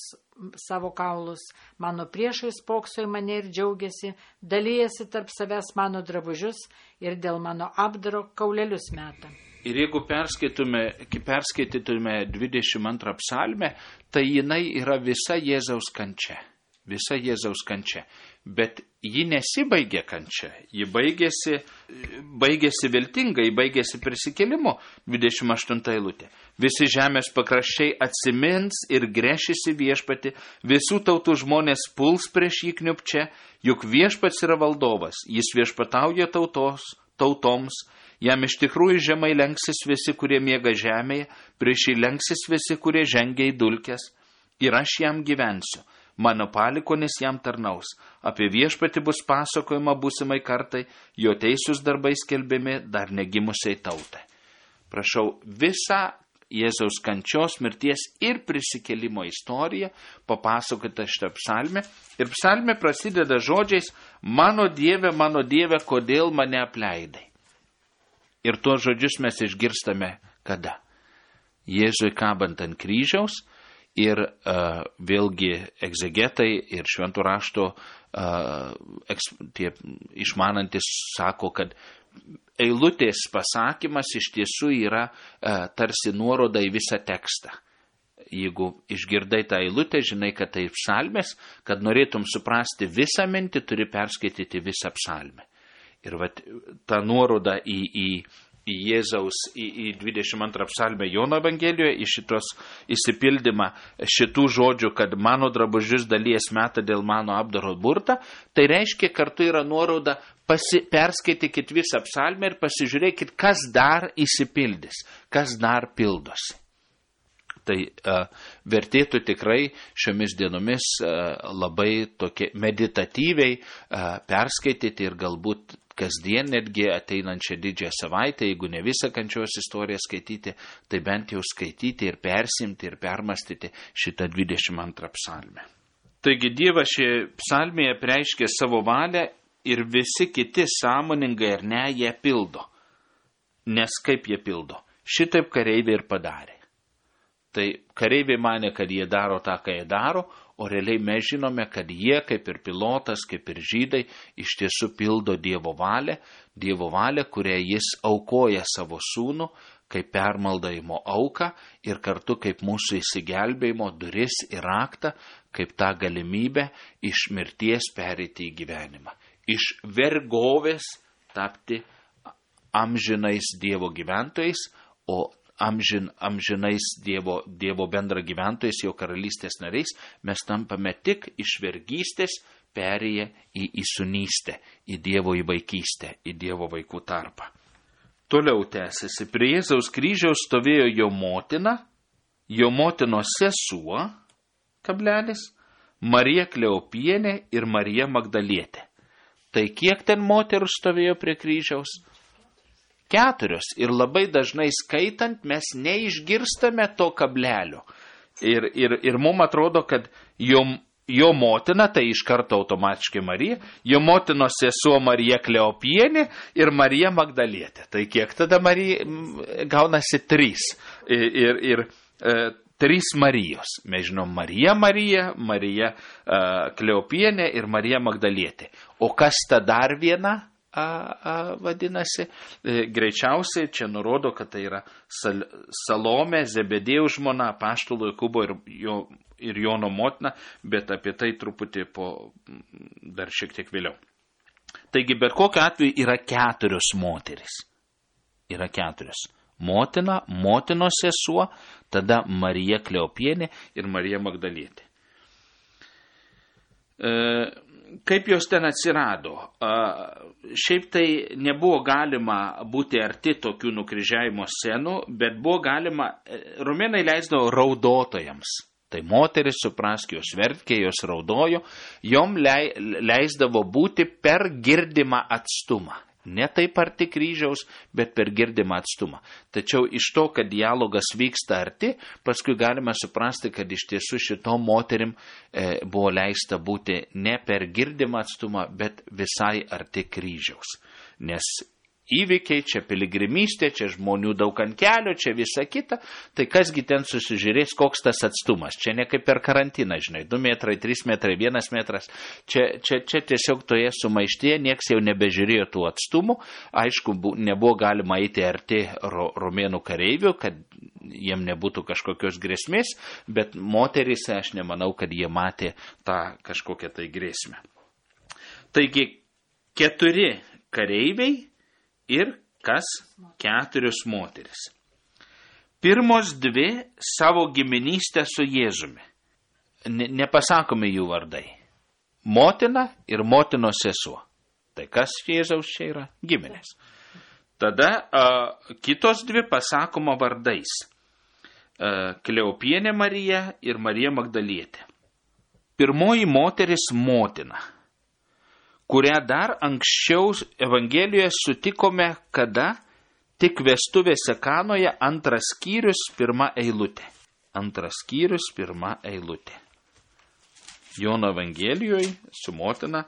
savo kaulus. Mano priešai spokso į mane ir džiaugiasi, dalyjasi tarp savęs mano drabužius ir dėl mano apdaro kaulelius meta. Ir jeigu perskaitytume dvidešimt antrą psalmę, tai jinai yra visa Jėzaus kančia. Visa Jėzaus kančia. Bet ji nesibaigia kančia. Ji baigėsi, baigėsi viltingai, baigėsi prisikėlimu. dvidešimt aštunta eilutė. Visi žemės pakraščiai atsimins ir gręšisi viešpati, visų tautų žmonės puls prieš jį kniupčia, juk viešpats yra valdovas, jis viešpatauja tautos, tautoms, jam iš tikrųjų žemai lenksis visi, kurie miega žemėje, prieš jį lenksis visi, kurie žengia į dulkes, ir aš jam gyvensiu. Mano palikonis jam tarnaus. Apie viešpatį bus pasakojama būsimai kartai, jo teisūs darbai skelbiami dar negimusiai tautai. Prašau, visą Jėzaus kančios, mirties ir prisikėlimo istoriją papasakota šitą psalmę. Ir psalmė prasideda žodžiais: mano Dieve, mano Dieve, kodėl mane apleidai? Ir tuos žodžius mes išgirstame kada? Jėzui kabant ant kryžiaus. Ir uh, vėlgi egzegetai ir šventų rašto uh, eks, tie išmanantis sako, kad eilutės pasakymas iš tiesų yra uh, tarsi nuoroda į visą tekstą. Jeigu išgirdai tą eilutę, žinai, kad tai psalmės, kad norėtum suprasti visą mintį, turi perskaityti visą psalmę. Ir vat, ta nuoroda į, į į Jėzaus, į, į dvidešimt antrą psalmę Jono Evangelijoje, į šitos įsipildymą šitų žodžių, kad mano drabužius dalies meta dėl mano apdaro burtą, tai reiškia kartu yra nuoroda, pasi, perskaitykit visą psalmę ir pasižiūrėkit, kas dar įsipildys, kas dar pildosi. Tai uh, vertėtų tikrai šiomis dienomis uh, labai tokie meditatyviai uh, perskaityti ir galbūt kasdien netgi ateinančią didžiąją savaitę, jeigu ne visą kančios istoriją skaityti, tai bent jau skaityti ir persimti ir permastyti šitą dvidešimt antrą psalmę. Taigi Dievas šioje psalmėje reiškia savo valią ir visi kiti sąmoningai ar ne ją pildo. Nes kaip jie pildo? Šitaip kareiviai ir padarė. Tai kareiviai mane, kad jie daro tą, ką jie daro, o realiai mes žinome, kad jie, kaip ir pilotas, kaip ir žydai, iš tiesų pildo Dievo valią, Dievo valią, kurią jis aukoja savo sūnų, kaip permaldavimo auką ir kartu kaip mūsų įsigelbėjimo duris ir raktą, kaip tą galimybę iš mirties pereiti į gyvenimą. Iš vergovės tapti amžinais Dievo gyventojais, o Amžin, amžinais Dievo, dievo bendra gyventojais, jo karalystės nariais, mes tampame tik iš vergystės perėję į įsūnystę, į Dievo įvaikystę, į Dievo vaikų tarpą. Toliau tęsiasi, prie Jėzaus kryžiaus stovėjo jo motina, jo motinos sesuo, kablelis, Marija Kleopienė ir Marija Magdalietė. Tai kiek ten moterų stovėjo prie kryžiaus? Keturios. Ir labai dažnai skaitant mes neišgirstame to kablelio. Ir, ir, ir mums atrodo, kad jo, jo motina, tai iš karto automatiškai Marija, jo motinos sesuo Marija Kleopienė ir Marija Magdalietė. Tai kiek tada Marija gaunasi trys. Ir, ir, ir e, trys Marijos. Mes žinom Marija Marija, Marija e, Kleopienė ir Marija Magdalietė. O kas ta dar viena? A, a, vadinasi, e, greičiausiai čia nurodo, kad tai yra Sal, Salomė, Zebedėjaus žmona, apaštalų Jokūbo ir, jo, ir Jono motina, bet apie tai truputį po dar šiek tiek vėliau. Taigi, bet kokiu atveju yra keturios moteris. Yra keturios. Motina, motinos sesuo, tada Marija Kleopienė ir Marija Magdalietė. E, Kaip jos ten atsirado? Šiaip tai nebuvo galima būti arti tokių nukryžiavimo scenų, bet buvo galima, romėnai leisdavo raudotojams. Tai moteris, suprask, jos verkė, jos raudojo, jom leisdavo būti per girdimą atstumą. Ne taip arti kryžiaus, bet per girdimą atstumą. Tačiau iš to, kad dialogas vyksta arti, paskui galime suprasti, kad iš tiesų šitom moterim e, buvo leista būti ne per girdimą atstumą, bet visai arti kryžiaus. Nes įvykiai, čia piligrimystė, čia žmonių daug ant kelio, čia visa kita, tai kasgi ten susižiūrės, koks tas atstumas. Čia ne kaip per karantiną, žinai, du metrai, trys metrai, vienas metras. Čia, čia, čia tiesiog toje sumaištyje nieks jau nebežiūrėjo tų atstumų. Aišku, bu, nebuvo galima eiti arti ro, romėnų kareivių, kad jiem nebūtų kažkokios grėsmės, bet moterys, aš nemanau, kad jie matė tą kažkokią tai grėsmę. Taigi, keturi kareiviai ir kas? Keturios moteris. Pirmos dvi savo giminystę su Jėzumi. Ne, nepasakome jų vardai. Motina ir motinos sesuo. Tai kas Jėzaus čia yra? Giminės. Tada a, kitos dvi pasakoma vardais. A, Kleopienė Marija ir Marija Magdalietė. Pirmoji moteris motina, kurią dar anksčiau Evangelijoje sutikome, kada tik vestuvėse Kanoje, antras skyrius, pirma eilutė. Antras skyrius, pirma eilutė. Jono Evangelijoje su motina.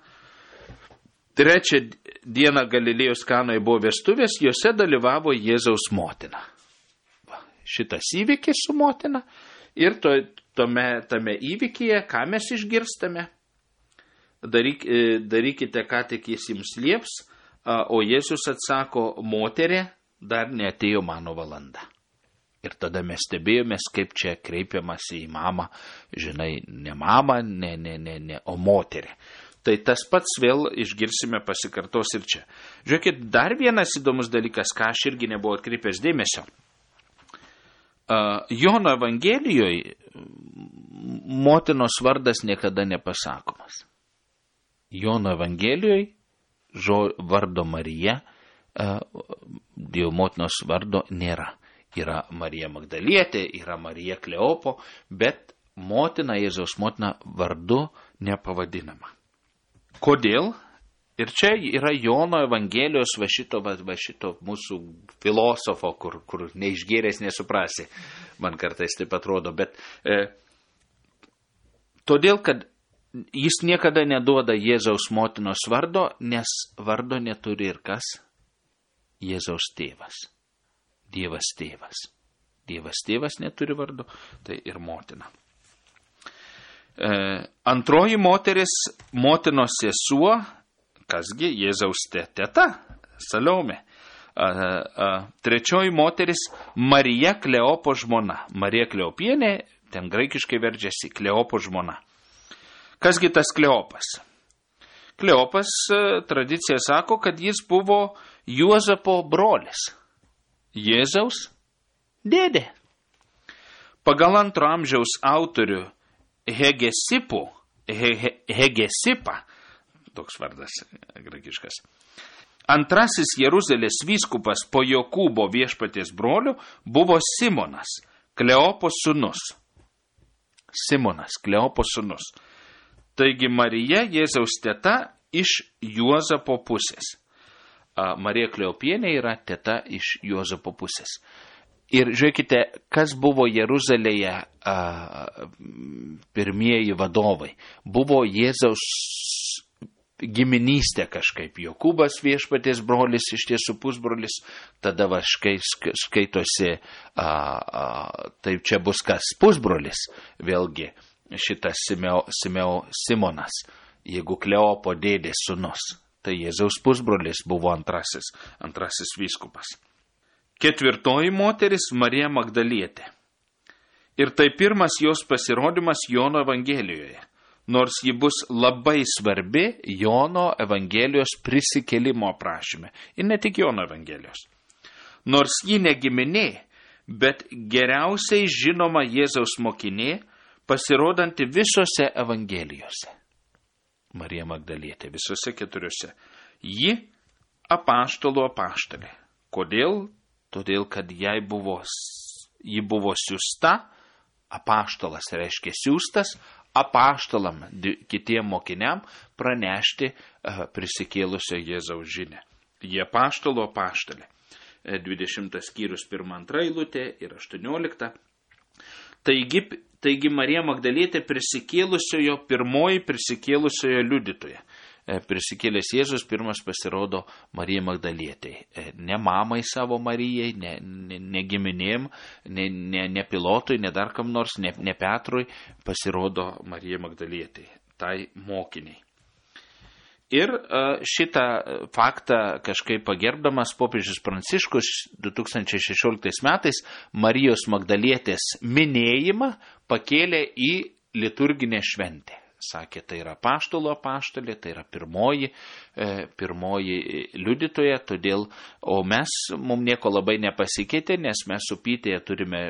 Trečią dieną Galilėjos Kanoje buvo vestuvės, jose dalyvavo Jėzaus motina. Va, šitas įvykis su motina ir to, tome, tame įvykyje, ką mes išgirstame? Daryk, darykite, ką tik jis jums lieps, o Jėzus atsako, moterė, dar neatėjo mano valanda. Ir tada mes stebėjomės, kaip čia kreipiamasi į mamą, žinai, ne mamą, ne, ne, ne, ne, o moterė. Tai tas pats vėl išgirsime pasikartos ir čia. Žiūrėkit, dar vienas įdomus dalykas, ką aš irgi nebuvau atkreipęs dėmesio. Jono Evangelijoje motinos vardas niekada nepasakomas. Jono Evangelijoje žo, vardo Marija, Dievo motinos vardo nėra. Yra Marija Magdalietė, yra Marija Kleopo, bet motina, Jėzaus motina vardu nepavadinama. Kodėl? Ir čia yra Jono Evangelijos va šito, va, va šito mūsų filosofo, kur, kur neišgėręs nesuprasi, man kartais taip atrodo, bet e, todėl, kad jis niekada neduoda Jėzaus motinos vardo, nes vardo neturi ir kas? Jėzaus tėvas. Dievas tėvas. Dievas tėvas neturi vardo, tai ir motina. E, antroji moteris, motinos sesuo, kasgi Jėzaus teta, Saliomė. A, a, trečioji moteris, Marija Kleopo žmona. Marija Kleopienė, ten graikiškai verčiasi, Kleopo žmona. Kasgi tas Kleopas? Kleopas, tradicija sako, kad jis buvo Juozapo brolis. Jėzaus dėdė. Pagal antro amžiaus autorių Hegesipų, he, he, Hegesipą, toks vardas graikiškas, antrasis Jeruzalės vyskupas po Jokūbo viešpaties brolių buvo Simonas, Kleopo sūnus. Simonas, Kleopo sūnus. Taigi Marija, Jėzaus teta, iš Juozapo pusės. Marija Kleopienė yra teta iš Juozapo pusės. Ir žiūrėkite, kas buvo Jeruzalėje a, pirmieji vadovai. Buvo Jėzaus giminystė kažkaip. Jokūbas viešpaties brolis, iš tiesų pusbrolis, tada va škai, skaitosi, a, a, taip čia bus kas pusbrolis, vėlgi šitas Simeo, Simeo, Simonas, jeigu Kleopo dėdės sūnus, tai Jėzaus pusbrolis buvo antrasis, antrasis vyskupas. Ketvirtoji moteris Marija Magdalietė. Ir tai pirmas jos pasirodymas Jono Evangelijoje, nors ji bus labai svarbi Jono Evangelijos prisikėlimo aprašyme. Ir ne tik Jono Evangelijos. Nors ji ne giminė, bet geriausiai žinoma Jėzaus mokinė, pasirodanti visose Evangelijose. Marija Magdalietė, visose keturiose. Ji apaštalų apaštalė. Kodėl? Todėl, kad jai buvo, ji buvo siusta, apaštalas reiškia siustas, apaštalam, kitiem mokiniam pranešti uh, prisikėlusio Jėzaus žinią. Jie apaštalo apaštalė. dvidešimtas skyrius pirma antra eilutė ir aštuoniolikta. Taigi, taigi Marija Magdalietė prisikėlusiojo, pirmoji prisikėlusiojo liudytoja. Prisikėlęs Jėzus pirmas pasirodo Marijai Magdalietei. Ne mamai savo Marijai, ne, ne, ne giminėm, ne, ne, ne pilotui, ne dar kam nors, ne, ne Petrui, pasirodo Marijai Magdalietei, tai mokiniai. Ir šitą faktą kažkaip pagerbdamas popiežius Pranciškus du tūkstančiai šešioliktais metais Marijos Magdalietės minėjimą pakėlė į liturginę šventę. Sakė, tai yra apaštalo apaštalė, tai yra pirmoji, e, pirmoji liudytoja, todėl, o mes, mums nieko labai nepasikeitė, nes mes su Pytėje turime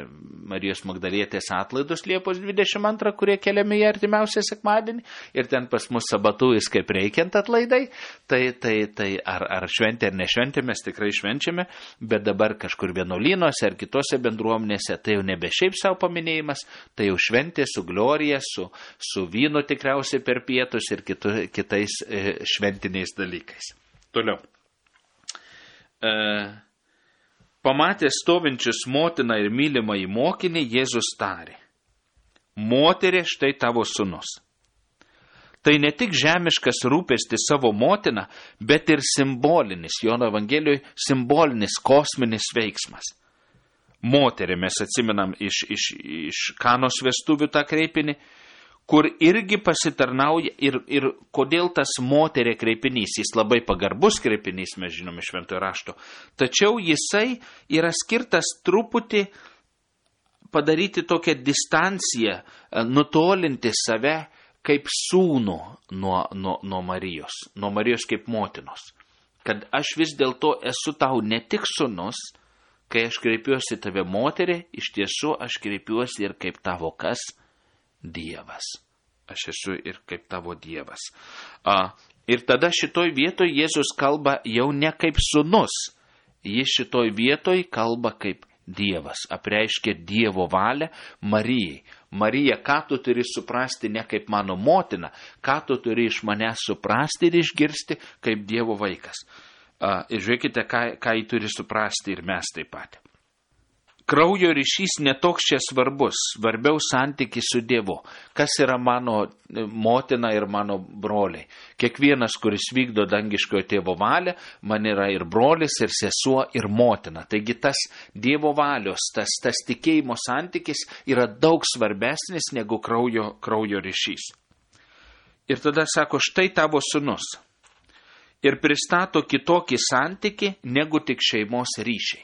Marijos Magdalietės atlaidus Liepos dvidešimt antrą, kurie keliami į artimiausią sekmadienį, ir ten pas mus sabatujais kaip reikiant atlaidai, tai, tai, tai ar, ar šventė ar nešventė, mes tikrai švenčiame, bet dabar kažkur vienuolynuose ar kitose bendruomenėse, tai jau nebe šiaip savo paminėjimas, tai jau šventė su glorija, su, su vynu tikriausiai per pietus ir kitu, kitais e, šventiniais dalykais. Toliau. E, pamatęs stovinčius motiną ir mylimą į mokinį, Jėzus tarė: Moterie, štai tavo sūnus. Tai ne tik žemiškas rūpestis savo motiną, bet ir simbolinis, Jono Evangelijoje simbolinis kosminis veiksmas. Moterį mes atsimenam iš, iš, iš Kanos vestuvių tą kreipinį, kur irgi pasitarnauja ir, ir kodėl tas moterė kreipinys, jis labai pagarbus kreipinys, mes žinome šventojo rašto, tačiau jisai yra skirtas truputį padaryti tokią distanciją, nutolinti save kaip sūnų nuo, nuo, nuo Marijos, nuo Marijos kaip motinos. Kad aš vis dėlto esu tau ne tik sūnus, kai aš kreipiuosi tave moterį, iš tiesų aš kreipiuosi ir kaip tavo kas? Dievas. Aš esu ir kaip tavo Dievas. A, ir tada šitoj vietoj Jėzus kalba jau ne kaip sūnus. Jis šitoj vietoj kalba kaip Dievas. Apreiškia Dievo valią Marijai. Marija, ką tu turi suprasti ne kaip mano motina, ką tu turi iš manęs suprasti ir išgirsti kaip Dievo vaikas. A, ir žiūrėkite, ką, ką jį turi suprasti ir mes taip pat. Kraujo ryšys netoks čia svarbus, svarbiau santykis su Dievu. Kas yra mano motina ir mano broliai? Kiekvienas, kuris vykdo dangiškojo tėvo valią, man yra ir brolis, ir sesuo, ir motina. Taigi tas Dievo valios, tas, tas tikėjimo santykis yra daug svarbesnis negu kraujo, kraujo ryšys. Ir tada sako, štai tavo sūnus. Ir pristato kitokį santykį negu tik šeimos ryšiai.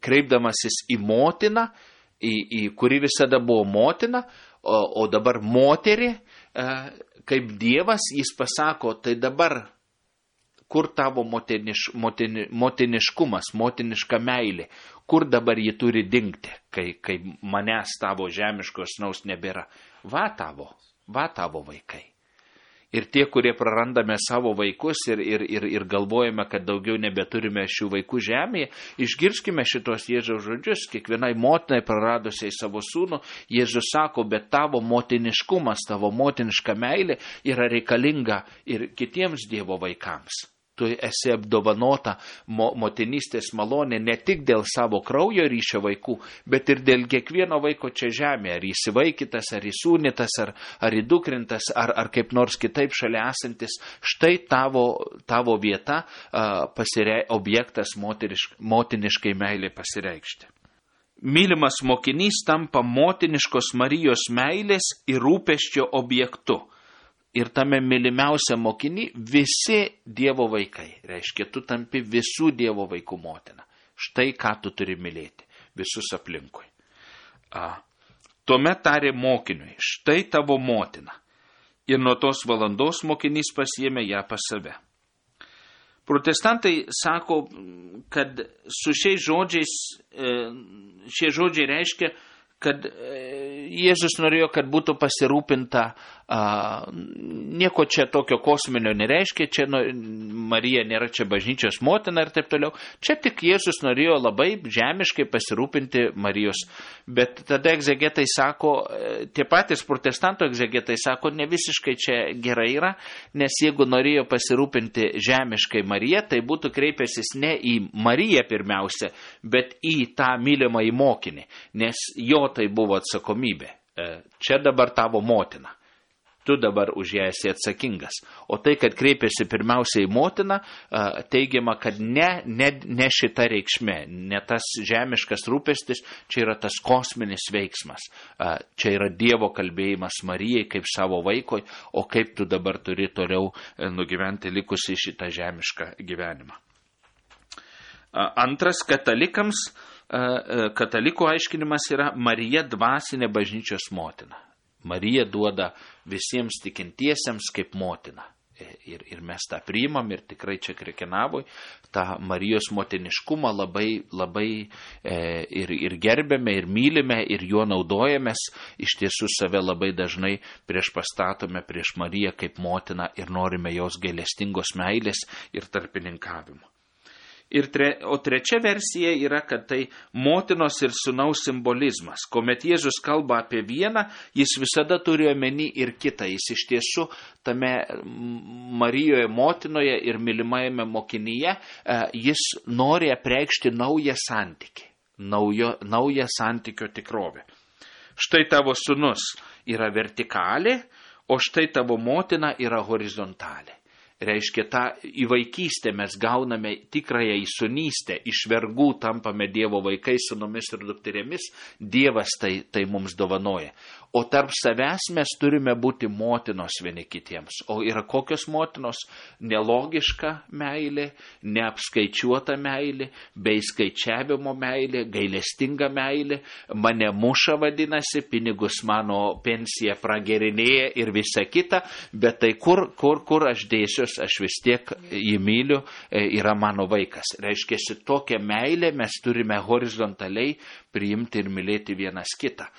Kreipdamasis į motiną, į, į kuri visada buvo motina, o, o dabar moterį, e, kaip Dievas, jis pasako, tai dabar kur tavo motiniš, motini, motiniškumas, motiniška meilė, kur dabar ji turi dingti, kai, kai manęs tavo žemiškos naus nebėra. Va tavo, va tavo vaikai. Ir tie, kurie prarandame savo vaikus ir, ir, ir, ir galvojame, kad daugiau nebeturime šių vaikų žemėje, išgirskime šitos Jėzaus žodžius. Kiekvienai motinai praradusiai savo sūnų, Jėzus sako, bet tavo motiniškumas, tavo motiniška meilė yra reikalinga ir kitiems Dievo vaikams. Tu esi apdovanota mo, motinystės malonė ne tik dėl savo kraujo ryšio vaikų, bet ir dėl kiekvieno vaiko čia žemėje, ar įsivaikytas, ar įsūnytas, ar, ar įdukrintas, ar, ar kaip nors kitaip šalia esantis. Štai tavo, tavo vieta, a, pasirei, objektas moterišk, motiniškai meilė pasireikšti. Mylimas mokinys tampa motiniškos Marijos meilės ir rūpesčio objektu. Ir tame mylimiausia mokiny visi Dievo vaikai. Reiškia, tu tampi visų Dievo vaikų motina. Štai ką tu turi mylėti. Visus aplinkui. A, tuomet tarė mokiniui, štai tavo motina. Ir nuo tos valandos mokinys pasiėmė ją pas save. Protestantai sako, kad su šiais žodžiais, šie žodžiai reiškia, kad Jėzus norėjo, kad būtų pasirūpinta, a, nieko čia tokio kosminio nereiškia, čia nu, Marija nėra čia bažnyčios motina ir taip toliau. Čia tik Jėzus norėjo labai žemiškai pasirūpinti Marijos. Bet tada egzegetai sako, tie patys protestantų egzegetai sako, ne visiškai čia gerai yra, nes jeigu norėjo pasirūpinti žemiškai Mariją, tai būtų kreipęsis ne į Mariją pirmiausia, bet į tą mylimą į mokinį, nes jo tai buvo atsakomybė. Čia dabar tavo motina. Tu dabar už ją esi atsakingas. O tai, kad kreipėsi pirmiausia į motiną, teigiama, kad ne, ne, ne šita reikšmė, ne tas žemiškas rūpestis, čia yra tas kosminis veiksmas. Čia yra Dievo kalbėjimas Marijai kaip savo vaikoj, o kaip tu dabar turi toliau nugyventi likusi šitą žemišką gyvenimą. Antras, katalikams, katalikų aiškinimas yra Marija dvasinė bažnyčios motina. Marija duoda visiems tikintiesiems kaip motina. Ir, ir mes tą priimam ir tikrai čia Krekenavoj tą Marijos motiniškumą labai, labai e, ir, ir gerbėme, ir mylime, ir juo naudojamės. Iš tiesų save labai dažnai prieš pastatome prieš Mariją kaip motiną ir norime jos gailestingos meilės ir tarpininkavimo. Ir tre, o trečia versija yra, kad tai motinos ir sūnaus simbolizmas. Kuomet Jėzus kalba apie vieną, jis visada turi omeny ir kitą. Jis iš tiesų tame Marijoje motinoje ir mylimajame mokinyje, jis nori apreikšti naują santykį, naujo, naują santykio tikrovę. Štai tavo sūnus yra vertikalė, o štai tavo motina yra horizontalė. Reiškia, tą į vaikystę mes gauname tikrąją įsūnystę, iš vergų tampame Dievo vaikais, sūnumis ir dukterėmis, Dievas tai, tai mums dovanoja. O tarp savęs mes turime būti motinos vieni kitiems. O yra kokios motinos? Nelogiška meilė, neapskaičiuota meilė, bei skaičiavimo meilė, gailestinga meilė, mane muša vadinasi, pinigus mano pensija pragerinėja ir visa kita, bet tai kur, kur, kur aš dėsiuos, aš vis tiek jį myliu, yra mano vaikas. Reiškia, tokią meilę mes turime horizontaliai priimti ir mylėti vienas kitą.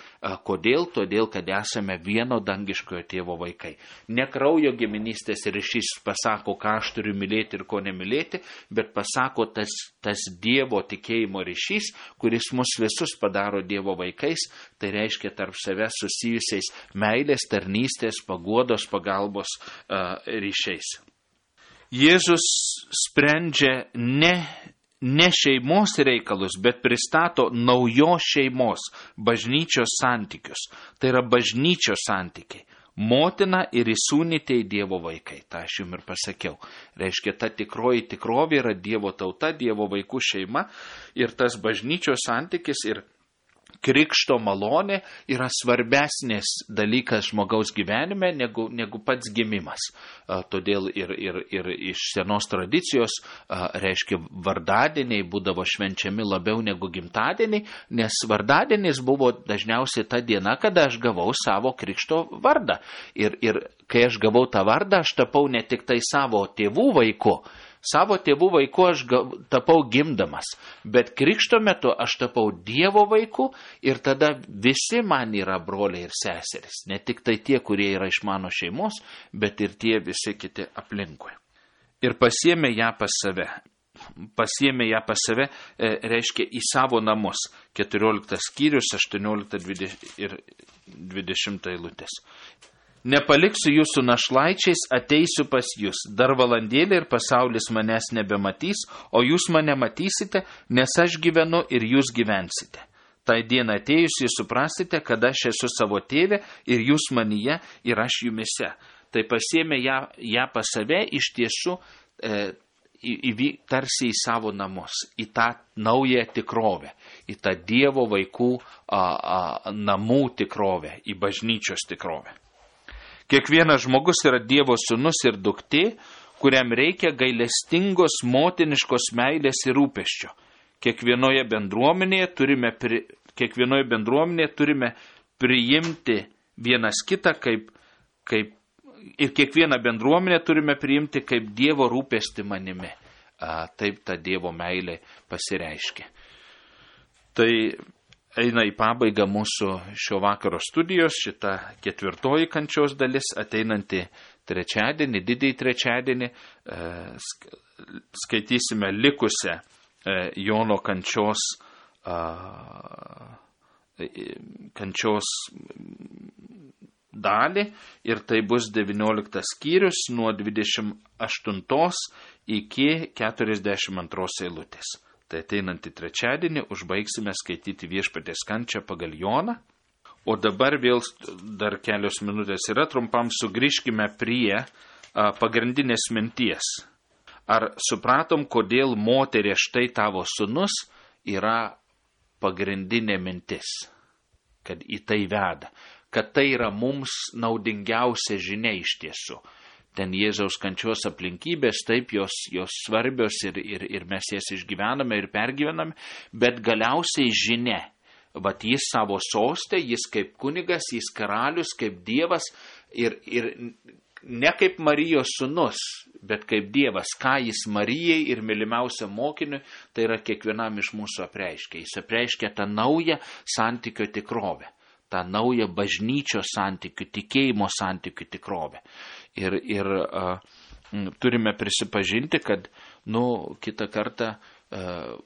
Kodėl? Todėl, kad esame vieno dangiškojo tėvo vaikai. Ne kraujo giminystės ryšys pasako, ką aš turiu mylėti ir ko nemylėti, bet pasako tas, tas Dievo tikėjimo ryšys, kuris mus visus padaro Dievo vaikais, tai reiškia tarp savęs susijusiais meilės, tarnystės, paguodos, pagalbos uh, ryšiais. Jėzus sprendžia ne ne šeimos reikalus, bet pristato naujos šeimos, bažnyčios santykius. Tai yra bažnyčios santykiai. Motina ir įsūnytieji Dievo vaikai. Ta aš jums ir pasakiau. Reiškia, ta tikroji tikrovė yra Dievo tauta, Dievo vaikų šeima ir tas bažnyčios santykis ir krikšto malonė yra svarbesnis dalykas žmogaus gyvenime negu, negu pats gimimas. A, todėl ir, ir, ir iš senos tradicijos, a, reiškia, vardadieniai būdavo švenčiami labiau negu gimtadieniai, nes vardadienis buvo dažniausiai ta diena, kada aš gavau savo krikšto vardą. Ir, ir kai aš gavau tą vardą, aš tapau ne tik tai savo tėvų vaiku, savo tėvų vaiku aš tapau gimdamas, bet krikšto metu aš tapau Dievo vaiku ir tada visi man yra broliai ir seserys. Ne tik tai tie, kurie yra iš mano šeimos, bet ir tie visi kiti aplinkui. Ir pasiėmė ją pas save. Pasiėmė ją pas save, e, reiškia į savo namus. keturioliktas skyrius, aštuoniolikta ir dvidešimta eilutės. Nepaliksiu jūsų našlaičiais, ateisiu pas jūs. Dar valandėlį ir pasaulis manęs nebematys, o jūs mane matysite, nes aš gyvenu ir jūs gyvensite. Tai diena atėjus jūs suprasite, kad aš esu savo tėve ir jūs manyje ir aš jumise. Tai pasiėmė ją, ją pas save iš tiesų e, į, į, tarsi į savo namus, į tą naują tikrovę, į tą Dievo vaikų a, a, namų tikrovę, į bažnyčios tikrovę. Kiekvienas žmogus yra Dievo sūnus ir duktė, kuriam reikia gailestingos motiniškos meilės ir rūpesčio. Kiekvienoje bendruomenėje turime, pri, kiekvienoje bendruomenėje turime priimti vienas kitą kaip, kaip ir kiekvieną bendruomenę turime priimti kaip Dievo rūpestį manimi. A, taip ta Dievo meilė pasireiškia. Tai eina į pabaigą mūsų šio vakaro studijos, šita ketvirtoji kančios dalis, ateinanti trečiadienį, didįjį trečiadienį, skaitysime likusią Jono kančios, kančios dalį ir tai bus devynioliktas skyrius nuo dvidešimt aštuntos iki keturiasdešimt antros eilutės. Tai ateinantį trečiadienį užbaigsime skaityti Viešpaties kančią pagal Joną. O dabar vėl dar kelios minutės yra, trumpam sugrįžkime prie a, pagrindinės minties. Ar supratom, kodėl moterė štai tavo sūnus yra pagrindinė mintis, kad į tai veda, kad tai yra mums naudingiausia žinia iš tiesų. Ten Jėzaus kančios aplinkybės, taip, jos, jos svarbios ir, ir, ir mes jas išgyvename ir pergyvename, bet galiausiai žinia. Vat jis savo sostė, jis kaip kunigas, jis karalius, kaip Dievas ir, ir ne kaip Marijos sūnus, bet kaip Dievas, ką jis Marijai ir mylimiausiam mokiniui, tai yra kiekvienam iš mūsų apreiškia. Jis apreiškia tą naują santykio tikrovę, tą naują bažnyčios santykių, tikėjimo santykių tikrovę. Ir, ir uh, turime prisipažinti, kad, nu, kitą kartą uh,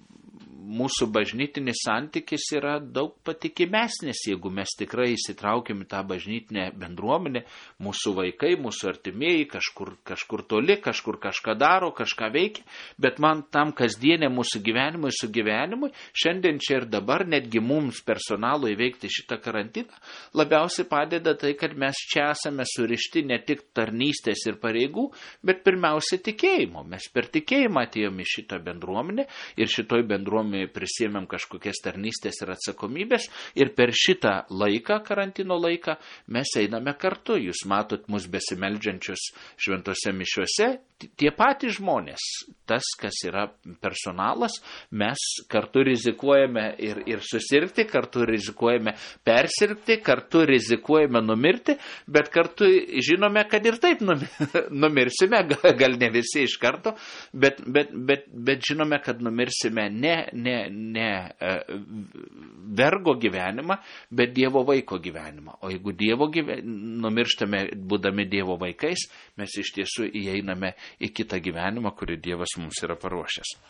mūsų bažnytinis santykis yra daug patikimesnis, jeigu mes tikrai įsitraukiam į tą bažnytinę bendruomenę, mūsų vaikai, mūsų artimieji kažkur, kažkur toli, kažkur kažką daro, kažką veikia, bet man tam kasdienė mūsų gyvenimui su gyvenimui, šiandien čia ir dabar, netgi mums personalui įveikti šitą karantiną, labiausiai padeda tai, kad mes čia esame surišti ne tik tarnystės ir pareigų, bet pirmiausia tikėjimo. Mes per tikėjimą atėjome į šitą bendruomenę ir šitoj bendruomenėje prisėmėm kažkokias tarnystės ir atsakomybės ir per šitą laiką, karantino laiką, mes einame kartu. Jūs matot mus besimeldžiančius šventose mišiuose, tie patys žmonės, tas, kas yra personalas, mes kartu rizikuojame ir, ir susirgti, kartu rizikuojame persirgti, kartu rizikuojame numirti, bet kartu žinome, kad ir taip numirsime, gal ne visi iš karto, bet, bet, bet, bet žinome, kad numirsime ne, ne, ne vergo gyvenimą, bet Dievo vaiko gyvenimą. O jeigu Dievo gyvenimą numirštame, būdami Dievo vaikais, mes iš tiesų įeiname į kitą gyvenimą, kurį Dievas mums yra paruošęs.